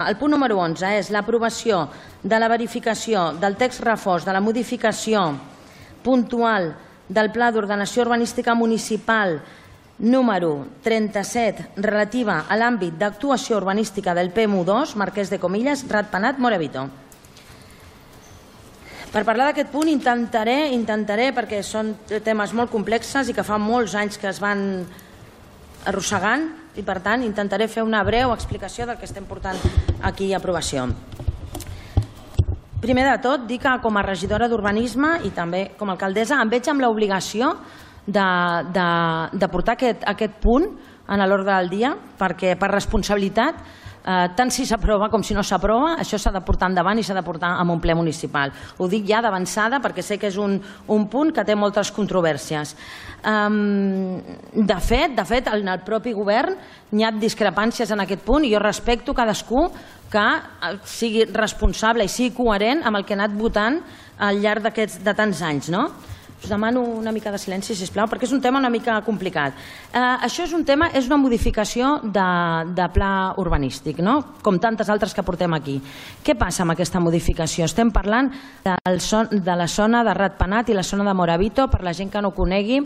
El punt número 11 és l'aprovació de la verificació del text refós de la modificació puntual del Pla d'Ordenació Urbanística Municipal número 37 relativa a l'àmbit d'actuació urbanística del PMU2, Marquès de Comillas, Ratpenat, Morabito. Per parlar d'aquest punt intentaré, perquè són temes molt complexes i que fa molts anys que es van arrossegant, i per tant intentaré fer una breu explicació del que estem portant aquí a aprovació. Primer de tot, dir que com a regidora d'Urbanisme i també com a alcaldessa em veig amb l'obligació de portar aquest punt en l'ordre del dia, perquè per responsabilitat, tant si s'aprova com si no s'aprova, això s'ha de portar endavant i s'ha de portar en un ple municipal. Ho dic ja d'avançada perquè sé que és un punt que té moltes controvèrsies. De fet, en el propi govern hi ha discrepàncies en aquest punt i jo respecto cadascú que sigui responsable i sigui coherent amb el que ha anat votant al llarg de tants anys, no? Us demano una mica de silenci, sisplau, perquè és un tema una mica complicat. Això és una modificació de pla urbanístic, com tantes altres que portem aquí. Què passa amb aquesta modificació? Estem parlant de la zona de Ratpenat i la zona de Morabito. Per la gent que no ho conegui,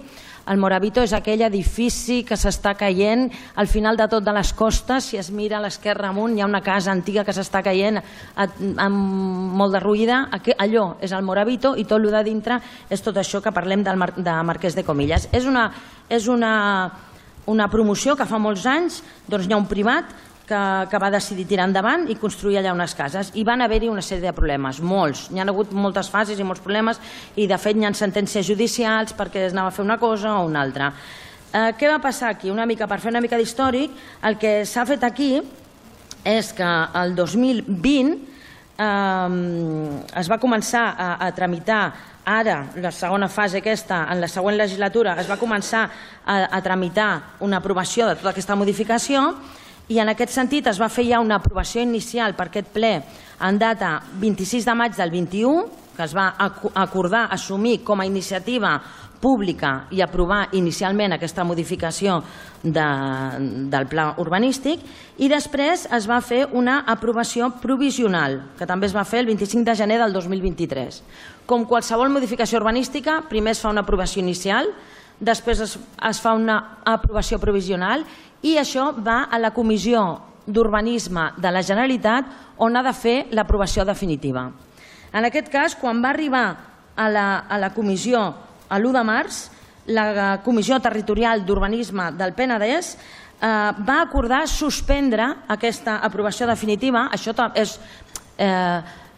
el Morabito és aquell edifici que s'està caient al final de tot de les costes. Si es mira a l'esquerra amunt hi ha una casa antiga que s'està caient amb molt de ruïda. Allò és el Morabito i tot el de dintre és tot això que parlem de Marquès de Comillas. És una promoció que fa molts anys hi ha un privat que va decidir tirar endavant i construir allà unes cases. I van haver-hi una sèrie de problemes, molts. Hi ha hagut moltes fases i molts problemes i de fet hi ha sentències judicials perquè es anava a fer una cosa o una altra. Què va passar aquí? Per fer una mica d'històric, el que s'ha fet aquí és que el 2020 es va començar a tramitar, ara la segona fase aquesta, en la següent legislatura es va començar a tramitar una aprovació de tota aquesta modificació i en aquest sentit es va fer ja una aprovació inicial per aquest ple en data 26 de maig del 21, que es va acordar assumir com a iniciativa pública i aprovar inicialment aquesta modificació del pla urbanístic, i després es va fer una aprovació provisional, que també es va fer el 25 de gener del 2023. Com qualsevol modificació urbanística, primer es fa una aprovació inicial, després es fa una aprovació provisional i això va a la Comissió d'Urbanisme de la Generalitat on ha de fer l'aprovació definitiva. En aquest cas, quan va arribar a la comissió l'1 de març, la Comissió Territorial d'Urbanisme del Penedès va acordar suspendre aquesta aprovació definitiva. Això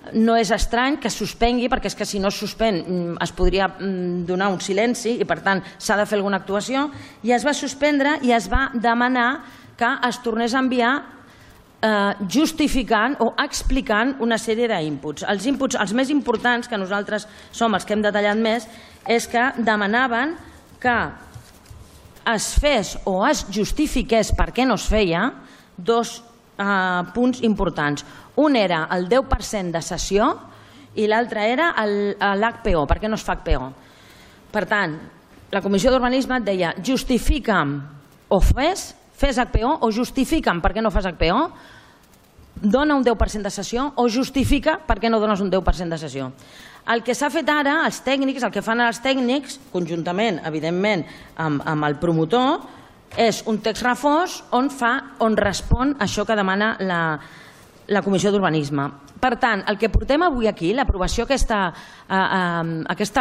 no és estrany que es suspengui, perquè és que si no es suspèn es podria donar un silenci i per tant s'ha de fer alguna actuació, i es va suspendre i es va demanar que es tornés a enviar justificant o explicant una sèrie d'inputs. Els inputs, els més importants, que nosaltres som els que hem detallat més, és que demanaven que es fes o es justifiqués per què no es feia dos punts importants. Un era el 10% de cessió i l'altre era l'HPO, per què no es fa HPO. Per tant, la Comissió d'Urbanisme et deia justifica'm o fes HPO o justifica'm per què no fas HPO, dona un 10% de cessió o justifica per què no dones un 10% de cessió. El que s'ha fet ara, els tècnics, el que fan els tècnics, conjuntament, evidentment, amb el promotor, és un text refós on respon això que demana la Comissió d'Urbanisme. Per tant, el que portem avui aquí, aquesta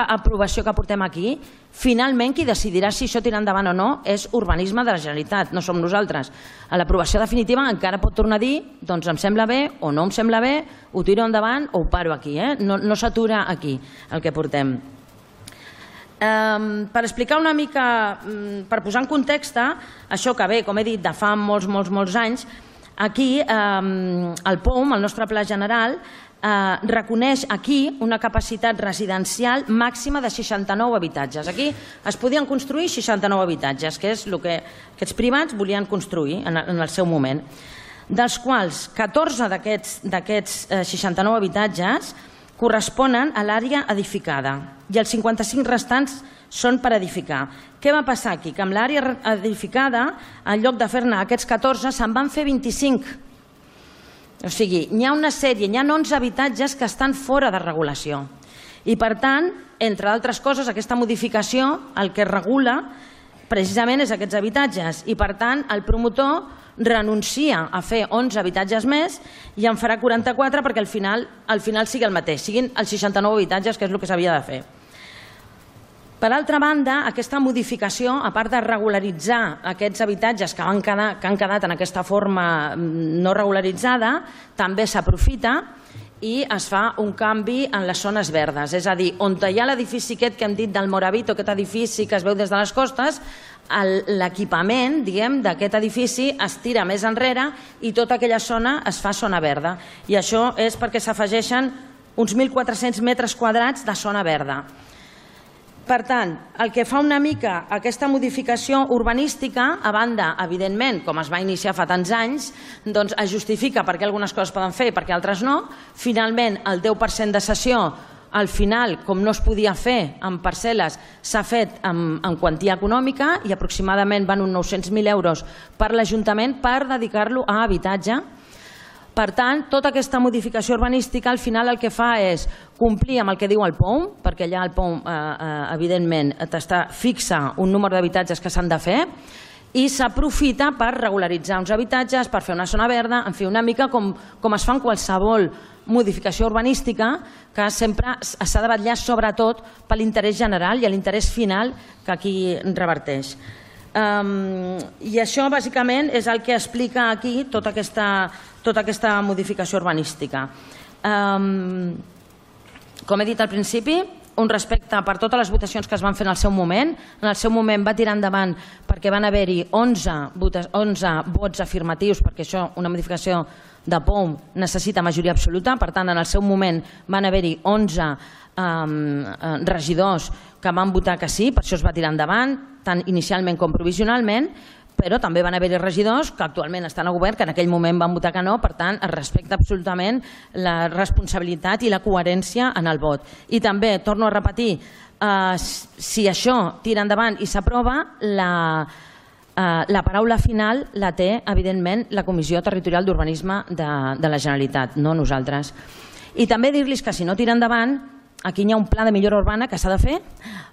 aprovació que portem aquí, finalment qui decidirà si això tira endavant o no és Urbanisme de la Generalitat, no som nosaltres. A l'aprovació definitiva encara pot tornar a dir doncs em sembla bé o no em sembla bé, ho tiro endavant o ho paro aquí. No s'atura aquí el que portem. Per explicar una mica, per posar en context això que ve, com he dit, de fa molts anys, aquí el POUM, el nostre Pla General, reconeix aquí una capacitat residencial màxima de 69 habitatges. Aquí es podien construir 69 habitatges, que és el que aquests privats volien construir en el seu moment, dels quals 14 d'aquests 69 habitatges corresponen a l'àrea edificada i els 55 restants són per edificar. Què va passar aquí? Que amb l'àrea edificada, en lloc de fer-ne aquests 14, se'n van fer 25. O sigui, hi ha una sèrie, hi ha 11 habitatges que estan fora de regulació. I per tant, entre altres coses, aquesta modificació el que regula precisament és aquests habitatges i per tant el promotor renuncia a fer 11 habitatges més i en farà 44 perquè al final sigui el mateix, siguin els 69 habitatges, que és el que s'havia de fer. Per altra banda, aquesta modificació, a part de regularitzar aquests habitatges que han quedat en aquesta forma no regularitzada, també s'aprofita i es fa un canvi en les zones verdes. És a dir, on hi ha l'edifici aquest que hem dit del Moravito, aquest edifici que es veu des de les costes, l'equipament d'aquest edifici es tira més enrere i tota aquella zona es fa zona verda. I això és perquè s'afegeixen uns 1.400 metres quadrats de zona verda. Per tant, el que fa una mica aquesta modificació urbanística, a banda, evidentment, com es va iniciar fa tants anys, doncs es justifica perquè algunes coses poden fer i perquè altres no. Finalment, el 10% de cessió, al final, com no es podia fer en parcel·les, s'ha fet en quantia econòmica i aproximadament van uns 900.000 euros per l'Ajuntament per dedicar-lo a habitatge. Per tant, tota aquesta modificació urbanística al final el que fa és complir amb el que diu el POUM, perquè allà el POUM evidentment fixa un número d'habitatges que s'han de fer i s'aprofita per regularitzar uns habitatges, per fer una zona verda, en fi, una mica com es fa en qualsevol modificació urbanística, que sempre s'ha de vetllar sobretot per l'interès general i l'interès final que aquí reverteix. I això bàsicament és el que explica aquí tota aquesta modificació urbanística. Com he dit al principi, un respecte per totes les votacions que es van fer en el seu moment. En el seu moment va tirar endavant perquè van haver-hi 11 vots afirmatius, perquè això, una modificació de POUM, necessita majoria absoluta. Per tant, en el seu moment van haver-hi 11 regidors que van votar que sí, per això es va tirar endavant, tant inicialment com provisionalment, però també van haver-hi regidors que actualment estan a govern que en aquell moment van votar que no, per tant es respecta absolutament la responsabilitat i la coherència en el vot. I també, torno a repetir, si això tira endavant i s'aprova, la paraula final la té, evidentment, la Comissió Territorial d'Urbanisme de la Generalitat, no nosaltres. I també dir-los que si no tira endavant, aquí hi ha un pla de millora urbana que s'ha de fer,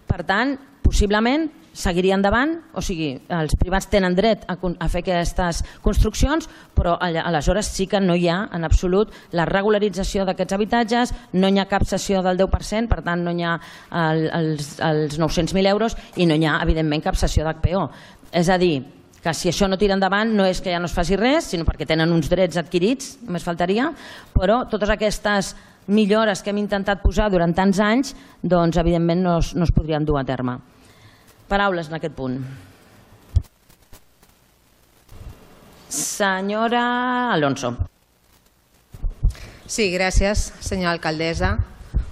per tant, possiblement seguiria endavant, o sigui, els privats tenen dret a fer aquestes construccions, però aleshores sí que no hi ha en absolut la regularització d'aquests habitatges, no hi ha cap cessió del 10%, per tant no hi ha els 900.000 euros i no hi ha, evidentment, cap cessió d'HPO. És a dir, que si això no tira endavant no és que ja no es faci res, sinó perquè tenen uns drets adquirits, només faltaria, però totes aquestes millores que hem intentat posar durant tants anys, doncs evidentment no es podrien dur a terme. Paraules en aquest punt. Senyora Alonso. Sí, gràcies, senyora alcaldessa.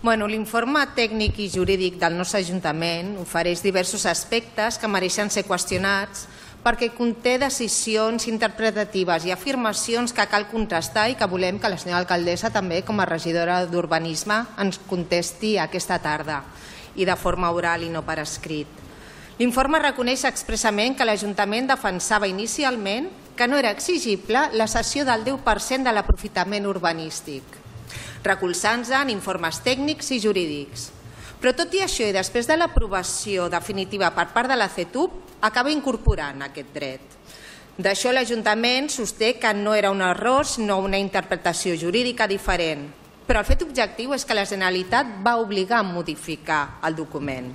L'informe tècnic i jurídic del nostre Ajuntament ofereix diversos aspectes que mereixen ser qüestionats perquè conté decisions interpretatives i afirmacions que cal contrastar i que volem que la senyora alcaldessa també, com a regidora d'Urbanisme, ens contesti aquesta tarda i de forma oral i no per escrit. L'informe reconeix expressament que l'Ajuntament defensava inicialment que no era exigible la cessió del 10% de l'aprofitament urbanístic, recolzant-se en informes tècnics i jurídics. Però tot i això, i després de l'aprovació definitiva per part de la CETUB, acaba incorporant aquest dret. D'això l'Ajuntament sosté que no era un error, sinó una interpretació jurídica diferent. Però el fet objectiu és que la Generalitat va obligar a modificar el document.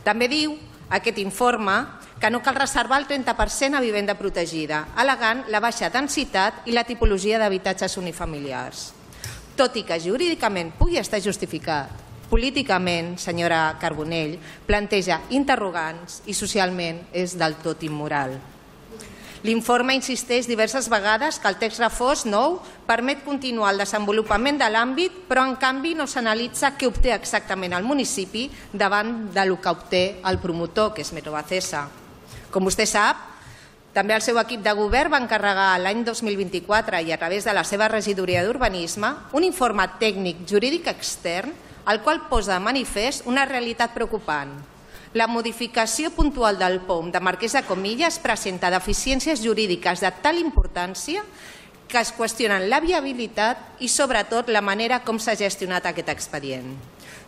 També diu aquest informe que no cal reservar el 30% a vivenda protegida, al·legant la baixa densitat i la tipologia d'habitatges unifamiliars. Tot i que jurídicament pugui estar justificat, políticament, senyora Carbonell, planteja interrogants i socialment és del tot immoral. L'informe insisteix diverses vegades que el text refós nou permet continuar el desenvolupament de l'àmbit, però en canvi no s'analitza què obté exactament el municipi davant del que obté el promotor, que és Metrovacesa. Com vostè sap, també el seu equip de govern va encarregar l'any 2024 i a través de la seva regidoria d'Urbanisme un informe tècnic jurídic extern el qual posa de manifest una realitat preocupant. La modificació puntual del POUM de Marquès de Comillas presenta deficiències jurídiques de tal importància que es qüestionen la viabilitat i, sobretot, la manera com s'ha gestionat aquest expedient.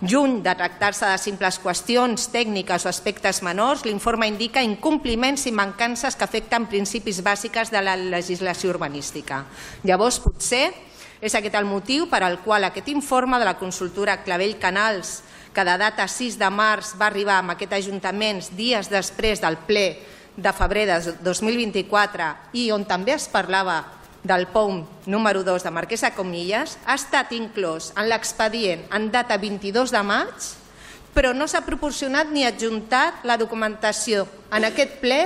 Lluny de tractar-se de simples qüestions tècniques o aspectes menors, l'informe indica incompliments i mancances que afecten principis bàsics de la legislació urbanística. Llavors, potser, és aquest el motiu per al qual aquest informe de la consultora Clavell Canals, que de data 6 de març va arribar amb aquest Ajuntament dies després del ple de febrer de 2024 i on també es parlava del POUM número 2 de Marquès de Comillas, ha estat inclòs en l'expedient en data 22 de maig, però no s'ha proporcionat ni adjuntat la documentació en aquest ple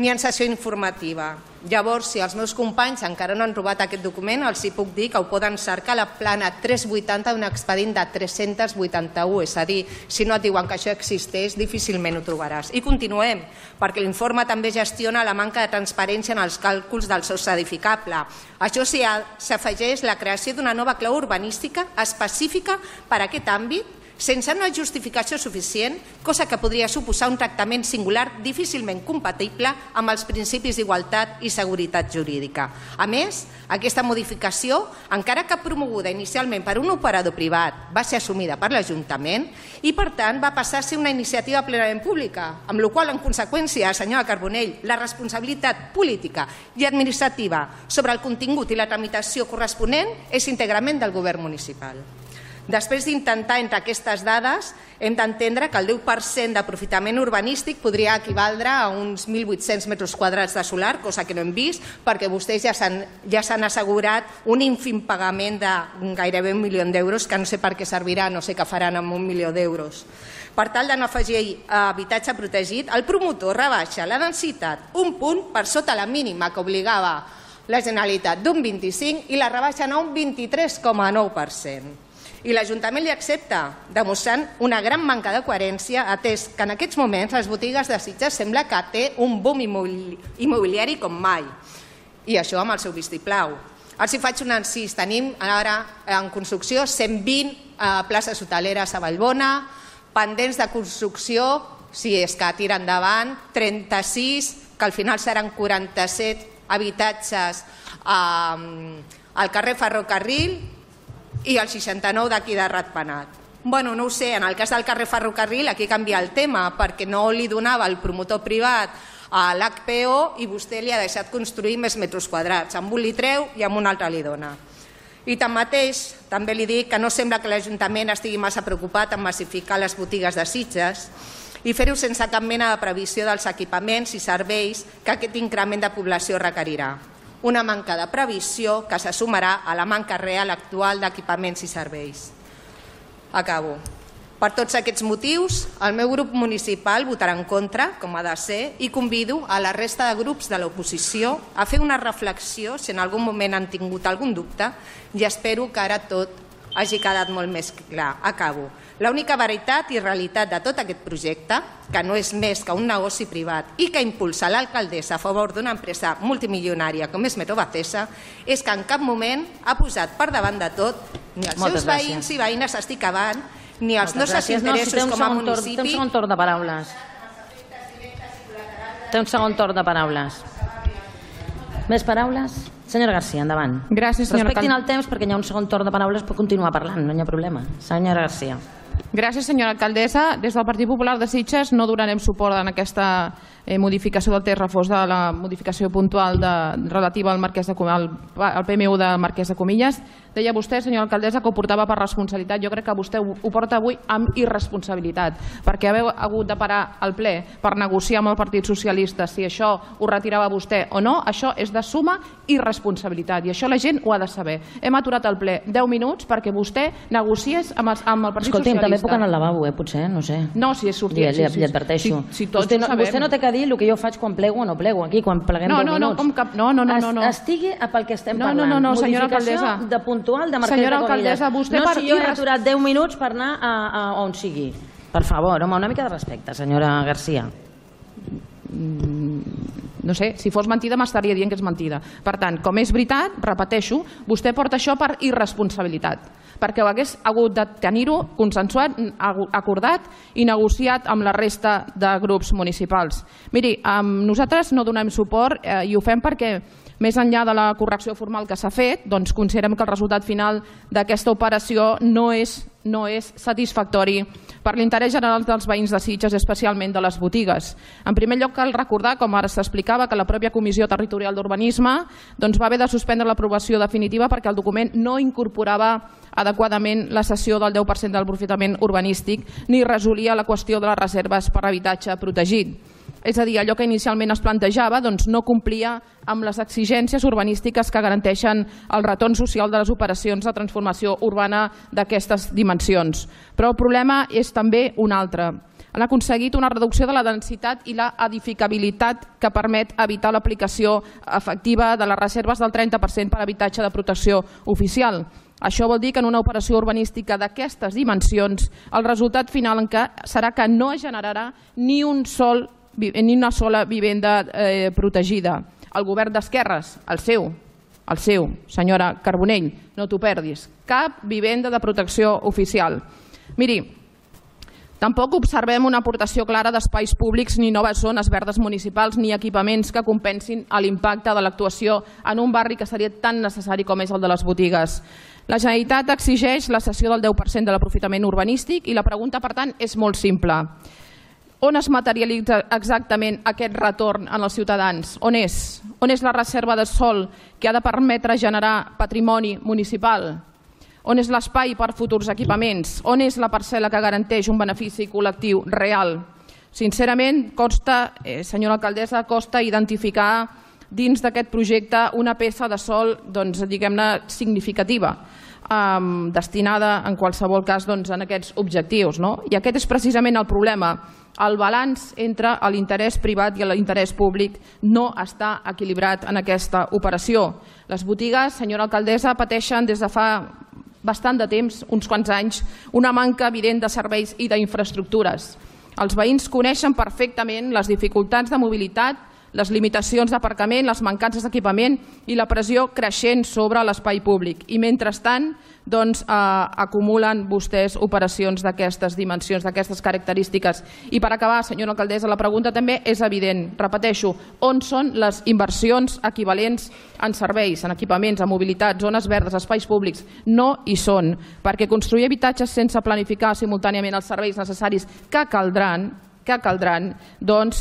ni en sessió informativa. Llavors, si els meus companys encara no han trobat aquest document, els hi puc dir que ho poden cercar a la plana 380 d'un expedient de 381, és a dir, si no et diuen que això existeix, difícilment ho trobaràs. I continuem, perquè l'informe també gestiona la manca de transparència en els càlculs del sostre edificable. Això s'afegeix la creació d'una nova clau urbanística específica per a aquest àmbit, sense una justificació suficient, cosa que podria suposar un tractament singular difícilment compatible amb els principis d'igualtat i seguretat jurídica. A més, aquesta modificació, encara que promoguda inicialment per un operador privat, va ser assumida per l'Ajuntament i, per tant, va passar a ser una iniciativa plenament pública, amb la qual, en conseqüència, senyora Carbonell, la responsabilitat política i administrativa sobre el contingut i la tramitació corresponent és íntegrament del govern municipal. Després d'intentar entre aquestes dades, hem d'entendre que el 10% d'aprofitament urbanístic podria equivaldre a uns 1.800 metres quadrats de solar, cosa que no hem vist, perquè vostès ja s'han assegurat un ínfim pagament de gairebé 1 milió d'euros, que no sé per què servirà, no sé què faran amb 1 milió d'euros. Per tal de no afegir habitatge protegit, el promotor rebaixa la densitat un punt per sota la mínima que obligava la Generalitat d'un 25% i la rebaixen a un 23,9%. I l'Ajuntament li accepta, demostrant una gran manca de coherència, atès que en aquests moments les botigues de Sitges sembla que té un boom immobiliari com mai. I això amb el seu vistiplau. Els hi faig un encís. Tenim ara en construcció 120 places hoteleres a Vallbona, pendents de construcció, si és que tira endavant, 36, que al final seran 47 habitatges al carrer Ferrocarril, i el 69 d'aquí de Ratpenat. Bueno, no ho sé, en el cas del carrer Ferrocarril aquí canvia el tema perquè no li donava el promotor privat a l'HPO i vostè li ha deixat construir més metres quadrats. Amb un li treu i amb un altre li dona. I tanmateix, també li dic que no sembla que l'Ajuntament estigui massa preocupat en massificar les botigues de Sitges i fer-ho sense cap mena de previsió dels equipaments i serveis que aquest increment de població requerirà. Una manca de previsió que se sumarà a la manca real actual d'equipaments i serveis. Acabo. Per tots aquests motius, el meu grup municipal votarà en contra, com ha de ser, i convido a la resta de grups de l'oposició a fer una reflexió si en algun moment han tingut algun dubte i espero que ara tot hagi quedat molt més clar. Acabo. L'única veritat i realitat de tot aquest projecte, que no és més que un negoci privat i que impulsa l'alcaldessa a favor d'una empresa multimilionària com és Metrovacesa, és que en cap moment ha posat per davant de tot ni els seus veïns i veïnes, estic acabant, ni els nostres interessos com a municipi. Té un segon torn de paraules. Té un segon torn de paraules. Més paraules? Senyora Garcia, endavant. Gràcies, senyora Respectin el temps perquè hi ha un segon torn de paraules, pot continuar parlant, no hi ha problema. Senyora Garcia. Gràcies, senyora alcaldessa. Des del Partit Popular de Sitges no donarem suport en aquesta modificació del text refós de la modificació puntual relativa al PMU del Marquès de Comillas. Deia vostè, senyora alcaldessa, que ho portava per responsabilitat. Jo crec que vostè ho porta avui amb irresponsabilitat, perquè haver hagut de parar el ple per negociar amb el Partit Socialista si això ho retirava vostè o no, això és de suma irresponsabilitat i això la gent ho ha de saber. Hem aturat el ple 10 minuts perquè vostè negociés amb el Partit Socialista. Escolti'm, també puc anar al lavabo, potser, no sé. No, si és sortit. Li adverteixo. Vostè no té que dir el que jo faig quan plego o no plego, aquí, quan pleguem 10 minuts. No. Estigui pel que estem parlant. No, senyora alcaldessa. Modificació de puntual de Marquès de Comillas. No, si jo he aturat 10 minuts per anar a on sigui. Per favor, home, una mica de respecte, senyora Garcia. No sé, si fos mentida m'estaria dient que és mentida. Per tant, com és veritat, repeteixo, vostè porta això per irresponsabilitat, perquè ho hagués hagut de tenir-ho consensuat, acordat i negociat amb la resta de grups municipals. Miri, nosaltres no donem suport i ho fem perquè més enllà de la correcció formal que s'ha fet, doncs considerem que el resultat final d'aquesta operació no és satisfactori per l'interès general dels veïns de Sitges, especialment de les botigues. En primer lloc, cal recordar, com ara s'explicava, que la pròpia Comissió Territorial d'Urbanisme va haver de suspendre l'aprovació definitiva perquè el document no incorporava adequadament la cessió del 10% del aprofitament urbanístic ni resolia la qüestió de les reserves per habitatge protegit. És a dir, allò que inicialment es plantejava no complia amb les exigències urbanístiques que garanteixen el retorn social de les operacions de transformació urbana d'aquestes dimensions. Però el problema és també un altre. Han aconseguit una reducció de la densitat i la edificabilitat que permet evitar l'aplicació efectiva de les reserves del 30% per habitatge de protecció oficial. Això vol dir que en una operació urbanística d'aquestes dimensions el resultat final serà que no es generarà ni una sola vivenda protegida. El govern d'esquerres, el seu, senyora Carbonell, no t'ho perdis, cap vivenda de protecció oficial. Miri, tampoc observem una aportació clara d'espais públics ni noves zones verdes municipals ni equipaments que compensin l'impacte de l'actuació en un barri que seria tan necessari com és el de les botigues. La Generalitat exigeix la cessió del 10% de l'aprofitament urbanístic i la pregunta, per tant, és molt simple. On es materialitza exactament aquest retorn en els ciutadans? On és? On és la reserva de sòl que ha de permetre generar patrimoni municipal? On és l'espai per futurs equipaments? On és la parcel·la que garanteix un benefici col·lectiu real? Sincerament, senyora alcaldessa, costa identificar dins d'aquest projecte una peça de sòl, diguem-ne, significativa, destinada en qualsevol cas a aquests objectius. I aquest és precisament el problema. El balanç entre l'interès privat i l'interès públic no està equilibrat en aquesta operació. Les botigues, senyora alcaldessa, pateixen des de fa bastant de temps, uns quants anys, una manca evident de serveis i d'infraestructures. Els veïns coneixen perfectament les dificultats de mobilitat, les limitacions d'aparcament, les mancances d'equipament i la pressió creixent sobre l'espai públic. I mentrestant acumulen vostès operacions d'aquestes dimensions, d'aquestes característiques. I per acabar, senyora alcaldessa, la pregunta també és evident. Repeteixo, on són les inversions equivalents en serveis, en equipaments, en mobilitat, zones verdes, espais públics? No hi són, perquè construir habitatges sense planificar simultàniament els serveis necessaris que caldran,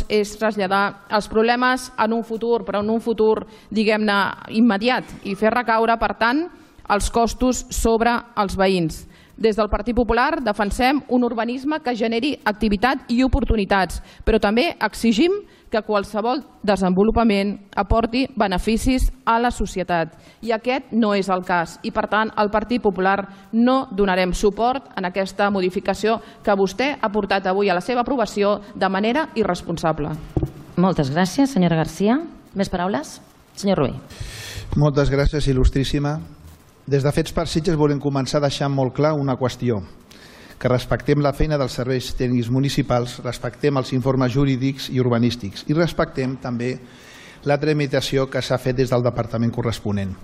és traslladar els problemes en un futur, però en un futur, diguem-ne, immediat, i fer recaure, per tant, els costos sobre els veïns. Des del Partit Popular defensem un urbanisme que generi activitat i oportunitats, però també exigim que qualsevol desenvolupament aporti beneficis a la societat. I aquest no és el cas. I, per tant, el Partit Popular no donarem suport en aquesta modificació que vostè ha portat avui a la seva aprovació de manera irresponsable. Moltes gràcies, senyora Garcia. Més paraules? Senyor Rubí. Moltes gràcies, il·lustríssima. Des de Fets per Sitges volem començar deixant molt clar una qüestió, que respectem la feina dels serveis tècnics municipals, respectem els informes jurídics i urbanístics i respectem també la tramitació que s'ha fet des del departament corresponent.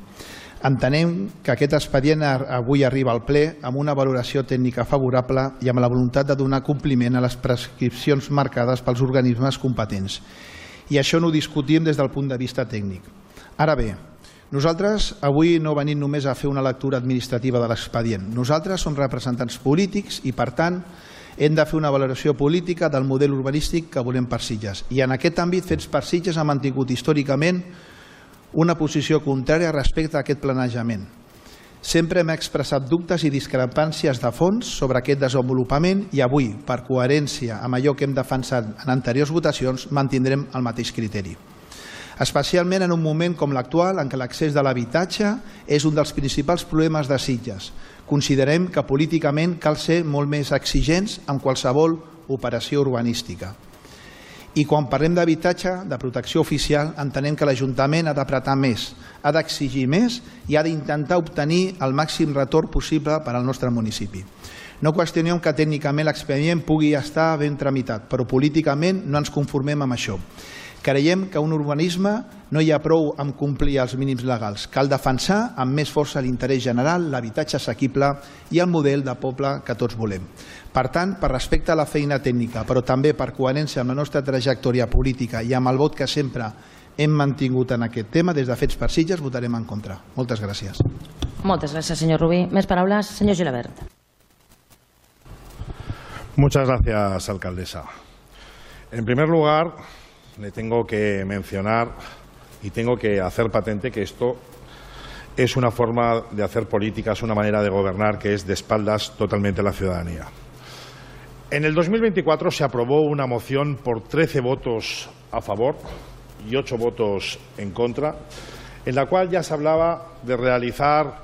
Entenem que aquest expedient avui arriba al ple amb una valoració tècnica favorable i amb la voluntat de donar compliment a les prescripcions marcades pels organismes competents. I això no ho discutim des del punt de vista tècnic. Ara bé, nosaltres avui no venim només a fer una lectura administrativa de l'expedient. Nosaltres som representants polítics i, per tant, hem de fer una valoració política del model urbanístic que volem per Sitges. I en aquest àmbit, Fets per Sitges ha mantingut històricament una posició contrària respecte a aquest planejament. Sempre hem expressat dubtes i discrepàncies de fons sobre aquest desenvolupament i avui, per coherència amb allò que hem defensat en anteriors votacions, mantindrem el mateix criteri. Especialment en un moment com l'actual en què l'accés de l'habitatge és un dels principals problemes de Sitges. Considerem que políticament cal ser molt més exigents en qualsevol operació urbanística. I quan parlem d'habitatge, de protecció oficial, entenem que l'Ajuntament ha d'apretar més, ha d'exigir més i ha d'intentar obtenir el màxim retorn possible per al nostre municipi. No qüestionem que tècnicament l'expedient pugui estar ben tramitat, però políticament no ens conformem amb això. Creiem que un urbanisme no hi ha prou amb complir els mínims legals. Cal defensar amb més força l'interès general, l'habitatge assequible i el model de poble que tots volem. Per tant, per respecte a la feina tècnica, però també per coherència amb la nostra trajectòria política i amb el vot que sempre hem mantingut en aquest tema, des de Fets per Sitges votarem en contra. Moltes gràcies. Moltes gràcies, senyor Rubí. Més paraules, senyor Gilabert. Muchas gracias, alcaldesa. En primer lugar, le tengo que mencionar y tengo que hacer patente que esto es una forma de hacer política, es una manera de gobernar que es de espaldas totalmente a la ciudadanía. En el 2024 se aprobó una moción por 13 votos a favor y 8 votos en contra, en la cual ya se hablaba de realizar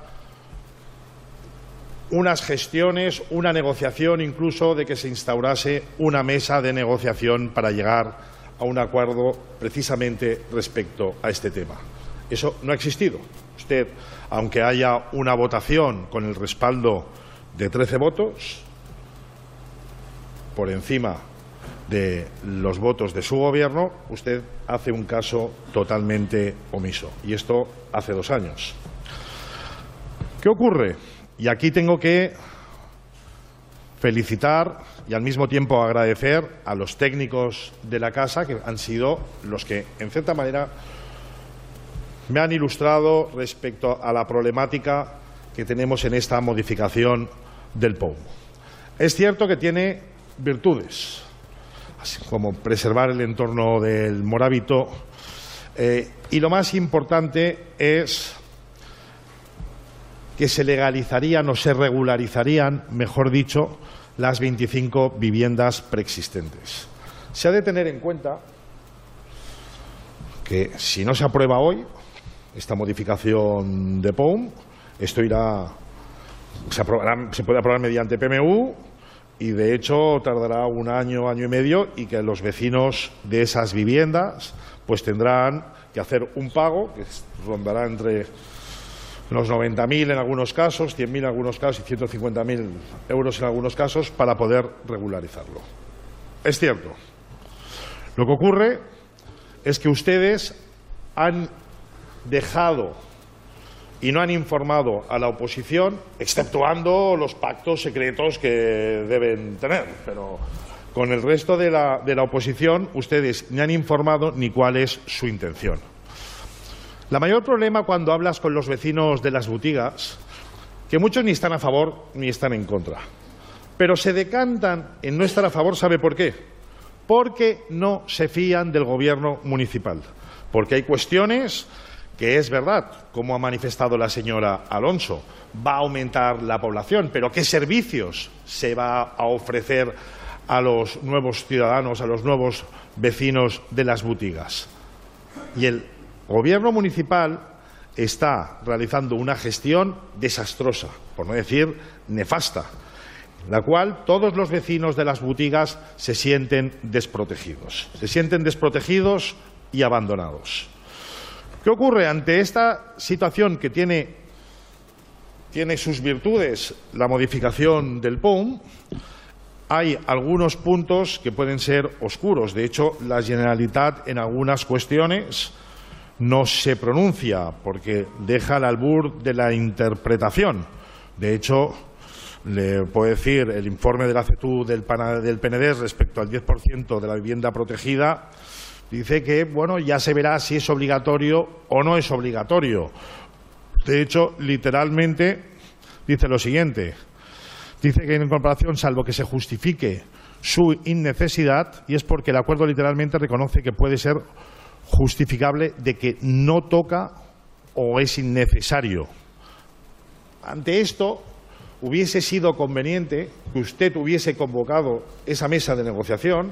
unas gestiones, una negociación, incluso de que se instaurase una mesa de negociación para llegar a un acuerdo precisamente respecto a este tema. Eso no ha existido. Usted, aunque haya una votación con el respaldo de 13 votos, por encima de los votos de su gobierno, usted hace un caso totalmente omiso. Y esto hace 2 años. ¿Qué ocurre? Y aquí tengo que felicitar y al mismo tiempo agradecer a los técnicos de la casa, que han sido los que, en cierta manera, me han ilustrado respecto a la problemática que tenemos en esta modificación del POUM. Es cierto que tiene virtudes, así como preservar el entorno del Morabito, y lo más importante es que se legalizarían o se regularizarían, mejor dicho, las 25 viviendas preexistentes. Se ha de tener en cuenta que si no se aprueba hoy esta modificación de POUM, esto se puede aprobar mediante PMU y de hecho tardará 1 año, año y medio, y que los vecinos de esas viviendas pues tendrán que hacer un pago que rondará entre los 90.000 en algunos casos, 100.000 en algunos casos y 150.000 euros en algunos casos para poder regularizarlo. Es cierto. Lo que ocurre es que ustedes han dejado y no han informado a la oposición, exceptuando los pactos secretos que deben tener, pero con el resto de la oposición ustedes ni han informado ni cuál es su intención. La mayor problema cuando hablas con los vecinos de las boutigas, que muchos ni están a favor ni están en contra, pero se decantan en no estar a favor, ¿sabe por qué? Porque no se fían del gobierno municipal, porque hay cuestiones que es verdad, como ha manifestado la señora Alonso, va a aumentar la población, pero ¿qué servicios se va a ofrecer a los nuevos ciudadanos, a los nuevos vecinos de las boutigas? Y el Gobierno municipal está realizando una gestión desastrosa, por no decir nefasta, en la cual todos los vecinos de las boutigas se sienten desprotegidos y abandonados. ¿Qué ocurre ante esta situación que tiene sus virtudes la modificación del POUM? Hay algunos puntos que pueden ser oscuros. De hecho, la Generalitat en algunas cuestiones no se pronuncia porque deja al albur de la interpretación. De hecho, le puedo decir, el informe de la CETU del PNDES respecto al 10% de la vivienda protegida dice que, bueno, ya se verá si es obligatorio o no es obligatorio. De hecho, literalmente dice lo siguiente. Dice que en comparación, salvo que se justifique su innecesidad, y es porque el acuerdo literalmente reconoce que puede ser justificable de que no toca o es innecesario. Ante esto, hubiese sido conveniente que usted hubiese convocado esa mesa de negociación,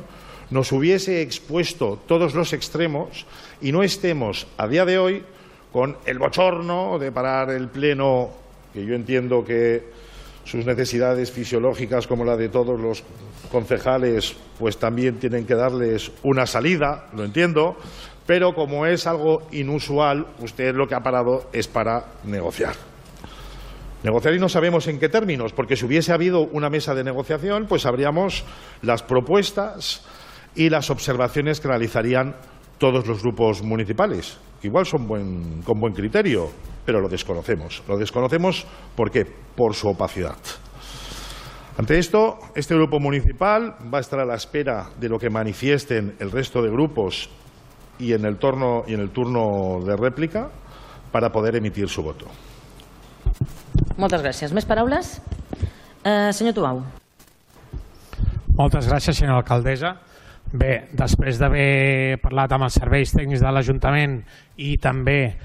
nos hubiese expuesto todos los extremos y no estemos a día de hoy con el bochorno de parar el pleno, que yo entiendo que sus necesidades fisiológicas, como la de todos los concejales, pues también tienen que darles una salida, lo entiendo, pero como es algo inusual, usted lo que ha parado es para negociar. Negociar y no sabemos en qué términos, porque si hubiese habido una mesa de negociación, pues sabríamos las propuestas y las observaciones que realizarían todos los grupos municipales, que igual son con buen criterio, pero lo desconocemos. Lo desconocemos, ¿por qué? Por su opacidad. Ante esto, este grupo municipal va a estar a la espera de lo que manifiesten el resto de grupos y en el turno de rèplica para poder emitir su voto. Moltes gràcies. Més paraules? Senyor Tubau. Moltes gràcies, senyora alcaldessa. Bé, després d'haver parlat amb els serveis tècnics de l'Ajuntament i també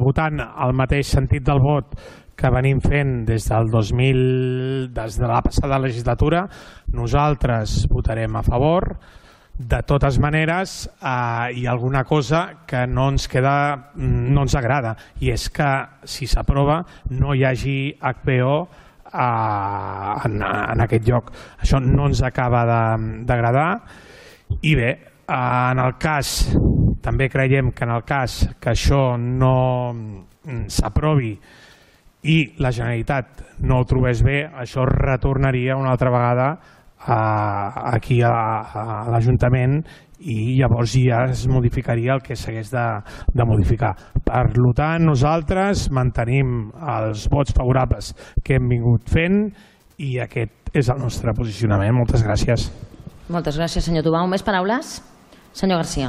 votant el mateix sentit del vot que venim fent des de la passada legislatura, nosaltres votarem a favor. De totes maneres, hi ha alguna cosa que no ens agrada, i és que si s'aprova no hi hagi HPO en aquest lloc. Això no ens acaba d'agradar. I bé, també creiem que en el cas que això no s'aprovi i la Generalitat no ho trobés bé, això retornaria una altra vegada aquí a l'Ajuntament i llavors ja es modificaria el que s'hagués de modificar. Per tant, nosaltres mantenim els vots favorables que hem vingut fent i aquest és el nostre posicionament. Moltes gràcies. Moltes gràcies, senyor Tubau. Més paraules? Senyor García.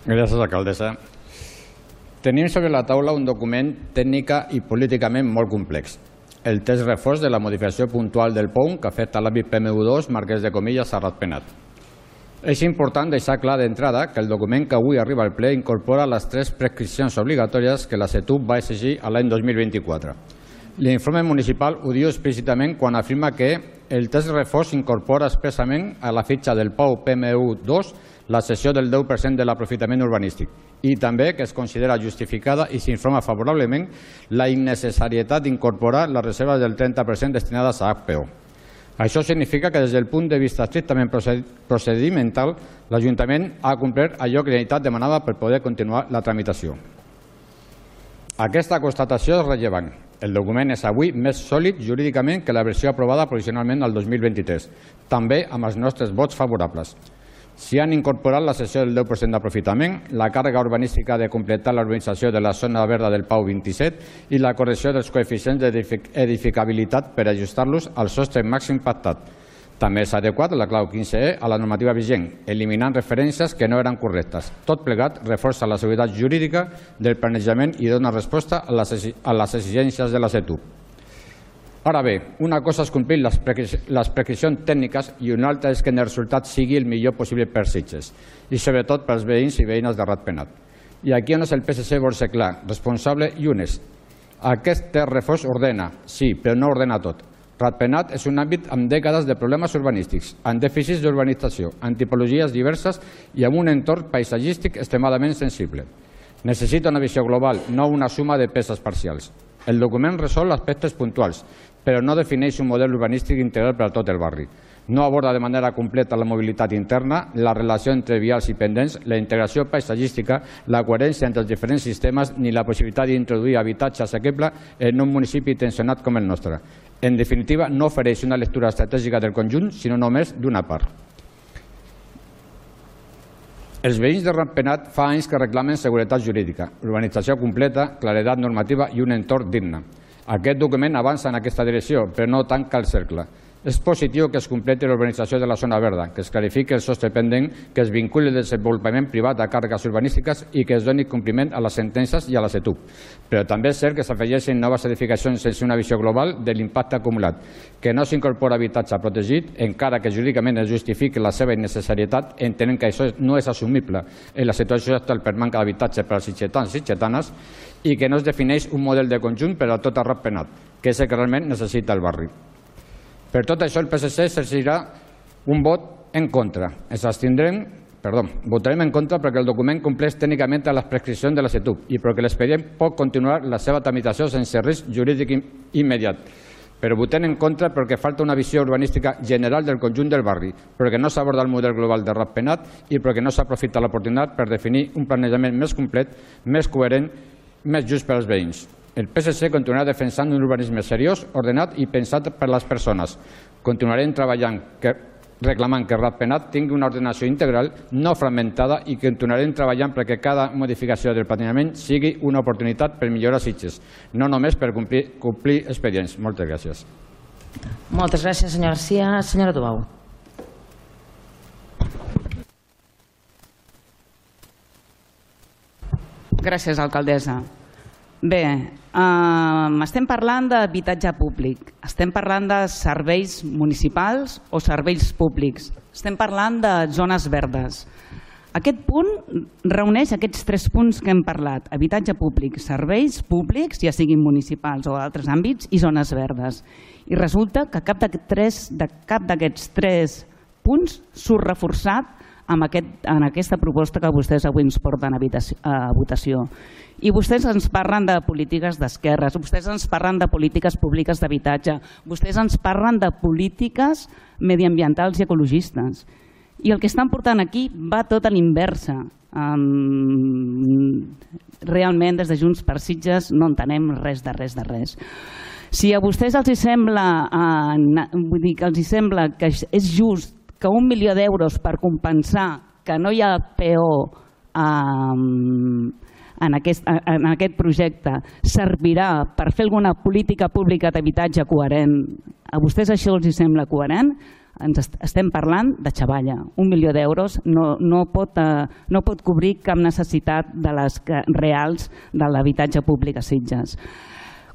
Gràcies, alcaldessa. Tenim sobre la taula un document tècnica i políticament molt complex. El text reforç de la modificació puntual del POUM que afecta l'àmbit PMU2 Marquès de Comillas a Ratpenat. És important deixar clar d'entrada que el document que avui arriba al ple incorpora les 3 prescripcions obligatòries que la CETUP va exigir l'any 2024. L'informe municipal ho diu explícitament quan afirma que el text reforç incorpora expressament a la fitxa del POU PMU2 la cessió del 10% de l'aprofitament urbanístic i també que es considera justificada i s'informa favorablement la innecessarietat d'incorporar les reserves del 30% destinades a HPO. Això significa que des del punt de vista estrictament procedimental l'Ajuntament ha complert allò que la Generalitat demanava per poder continuar la tramitació. Aquesta constatació és rellevant. El document és avui més sòlid jurídicament que la versió aprovada provisionalment el 2023, també amb els nostres vots favorables. S'hi han incorporat la cessió del 10% d'aprofitament, la càrrega urbanística de completar la urbanització de la zona verda del PAU 27 i la correcció dels coeficients d'edificabilitat per ajustar-los al sostre màxim pactat. També s'ha adequat la clau 15E a la normativa vigent, eliminant referències que no eren correctes. Tot plegat reforça la seguretat jurídica del planejament i dona resposta a les exigències de la CETUP. Ara bé, una cosa és complir les prescripcions tècniques i una altra és que el resultat sigui el millor possible per Sitges i sobretot pels veïns i veïnes de Ratpenat. I aquí on és el PSC vol ser clar, responsable i honest. Aquest text reforç ordena, sí, però no ordena tot. Ratpenat és un àmbit amb dècades de problemes urbanístics, amb dèficits d'urbanització, amb tipologies diverses i amb un entorn paisatgístic extremadament sensible. Necessita una visió global, no una suma de peces parcials. El document resol aspectes puntuals, però no defineix un model urbanístic integral per a tot el barri. No aborda de manera completa la mobilitat interna, la relació entre vials i pendents, la integració paisatgística, la coherència entre els diferents sistemes ni la possibilitat d'introduir habitatge assequible en un municipi tensionat com el nostre. En definitiva, no ofereix una lectura estratègica del conjunt, sinó només d'una part. Els veïns de Ratpenat fa anys que reclamen seguretat jurídica, urbanització completa, claredat normativa i un entorn digne. Aquest document avança en aquesta direcció, però no tanca el cercle. És positiu que es completi l'urbanització de la zona verda, que es clarifiqui el sostre pendent, que es vinculi el desenvolupament privat a càrregues urbanístiques i que es doni compliment a les sentències i a la CETUP. Però també és cert que s'afegeixen noves edificacions sense una visió global de l'impacte acumulat, que no s'incorpora habitatge protegit, encara que jurídicament es justifiqui la seva innecessarietat, entenent que això no és assumible en la situació actual per manca d'habitatge per als sitgetans i sitgetanes, i que no es defineix un model de conjunt per a tot el Ratpenat, que és el que realment necessita el barri. Per tot això, el PSC exercirà un vot en contra. Votarem en contra perquè el document compleix tècnicament les prescripcions de la CETUP i perquè l'expedient pot continuar la seva tramitació sense risc jurídic immediat. Però votem en contra perquè falta una visió urbanística general del conjunt del barri, perquè no s'aborda el model global de Ratpenat i perquè no s'aprofita l'oportunitat per definir un planejament més complet, més coherent, més just per als veïns. El PSC continuarà defensant un urbanisme seriós, ordenat i pensat per les persones. Continuarem treballant reclamant que Ratpenat tingui una ordenació integral, no fragmentada, i que continuarem treballant perquè cada modificació del planejament sigui una oportunitat per millorar Sitges, no només per complir expedients. Moltes gràcies. Moltes gràcies, senyor Garcia. Senyora Tubau. Gràcies, alcaldessa. Bé, estem parlant d'habitatge públic, estem parlant de serveis municipals o serveis públics, estem parlant de zones verdes. Aquest punt reuneix aquests 3 punts que hem parlat: habitatge públic, serveis públics, ja siguin municipals o altres àmbits, i zones verdes. I resulta que cap d'aquests 3 punts surt reforçat en aquesta proposta que vostès avui ens porten a votació. I vostès ens parlen de polítiques d'esquerres, vostès ens parlen de polítiques públiques d'habitatge, vostès ens parlen de polítiques mediambientals i ecologistes. I el que estan portant aquí va tot a l'inversa. Realment, des de Junts per Sitges no entenem res de res. Si a vostès els sembla que és just que 1 milió d'euros per compensar que no hi ha PO en aquest projecte servirà per fer alguna política pública d'habitatge coherent, a vostès això els sembla coherent? Estem parlant de xavalla. 1 milió d'euros no pot cobrir cap necessitat de les reals de l'habitatge públic a Sitges.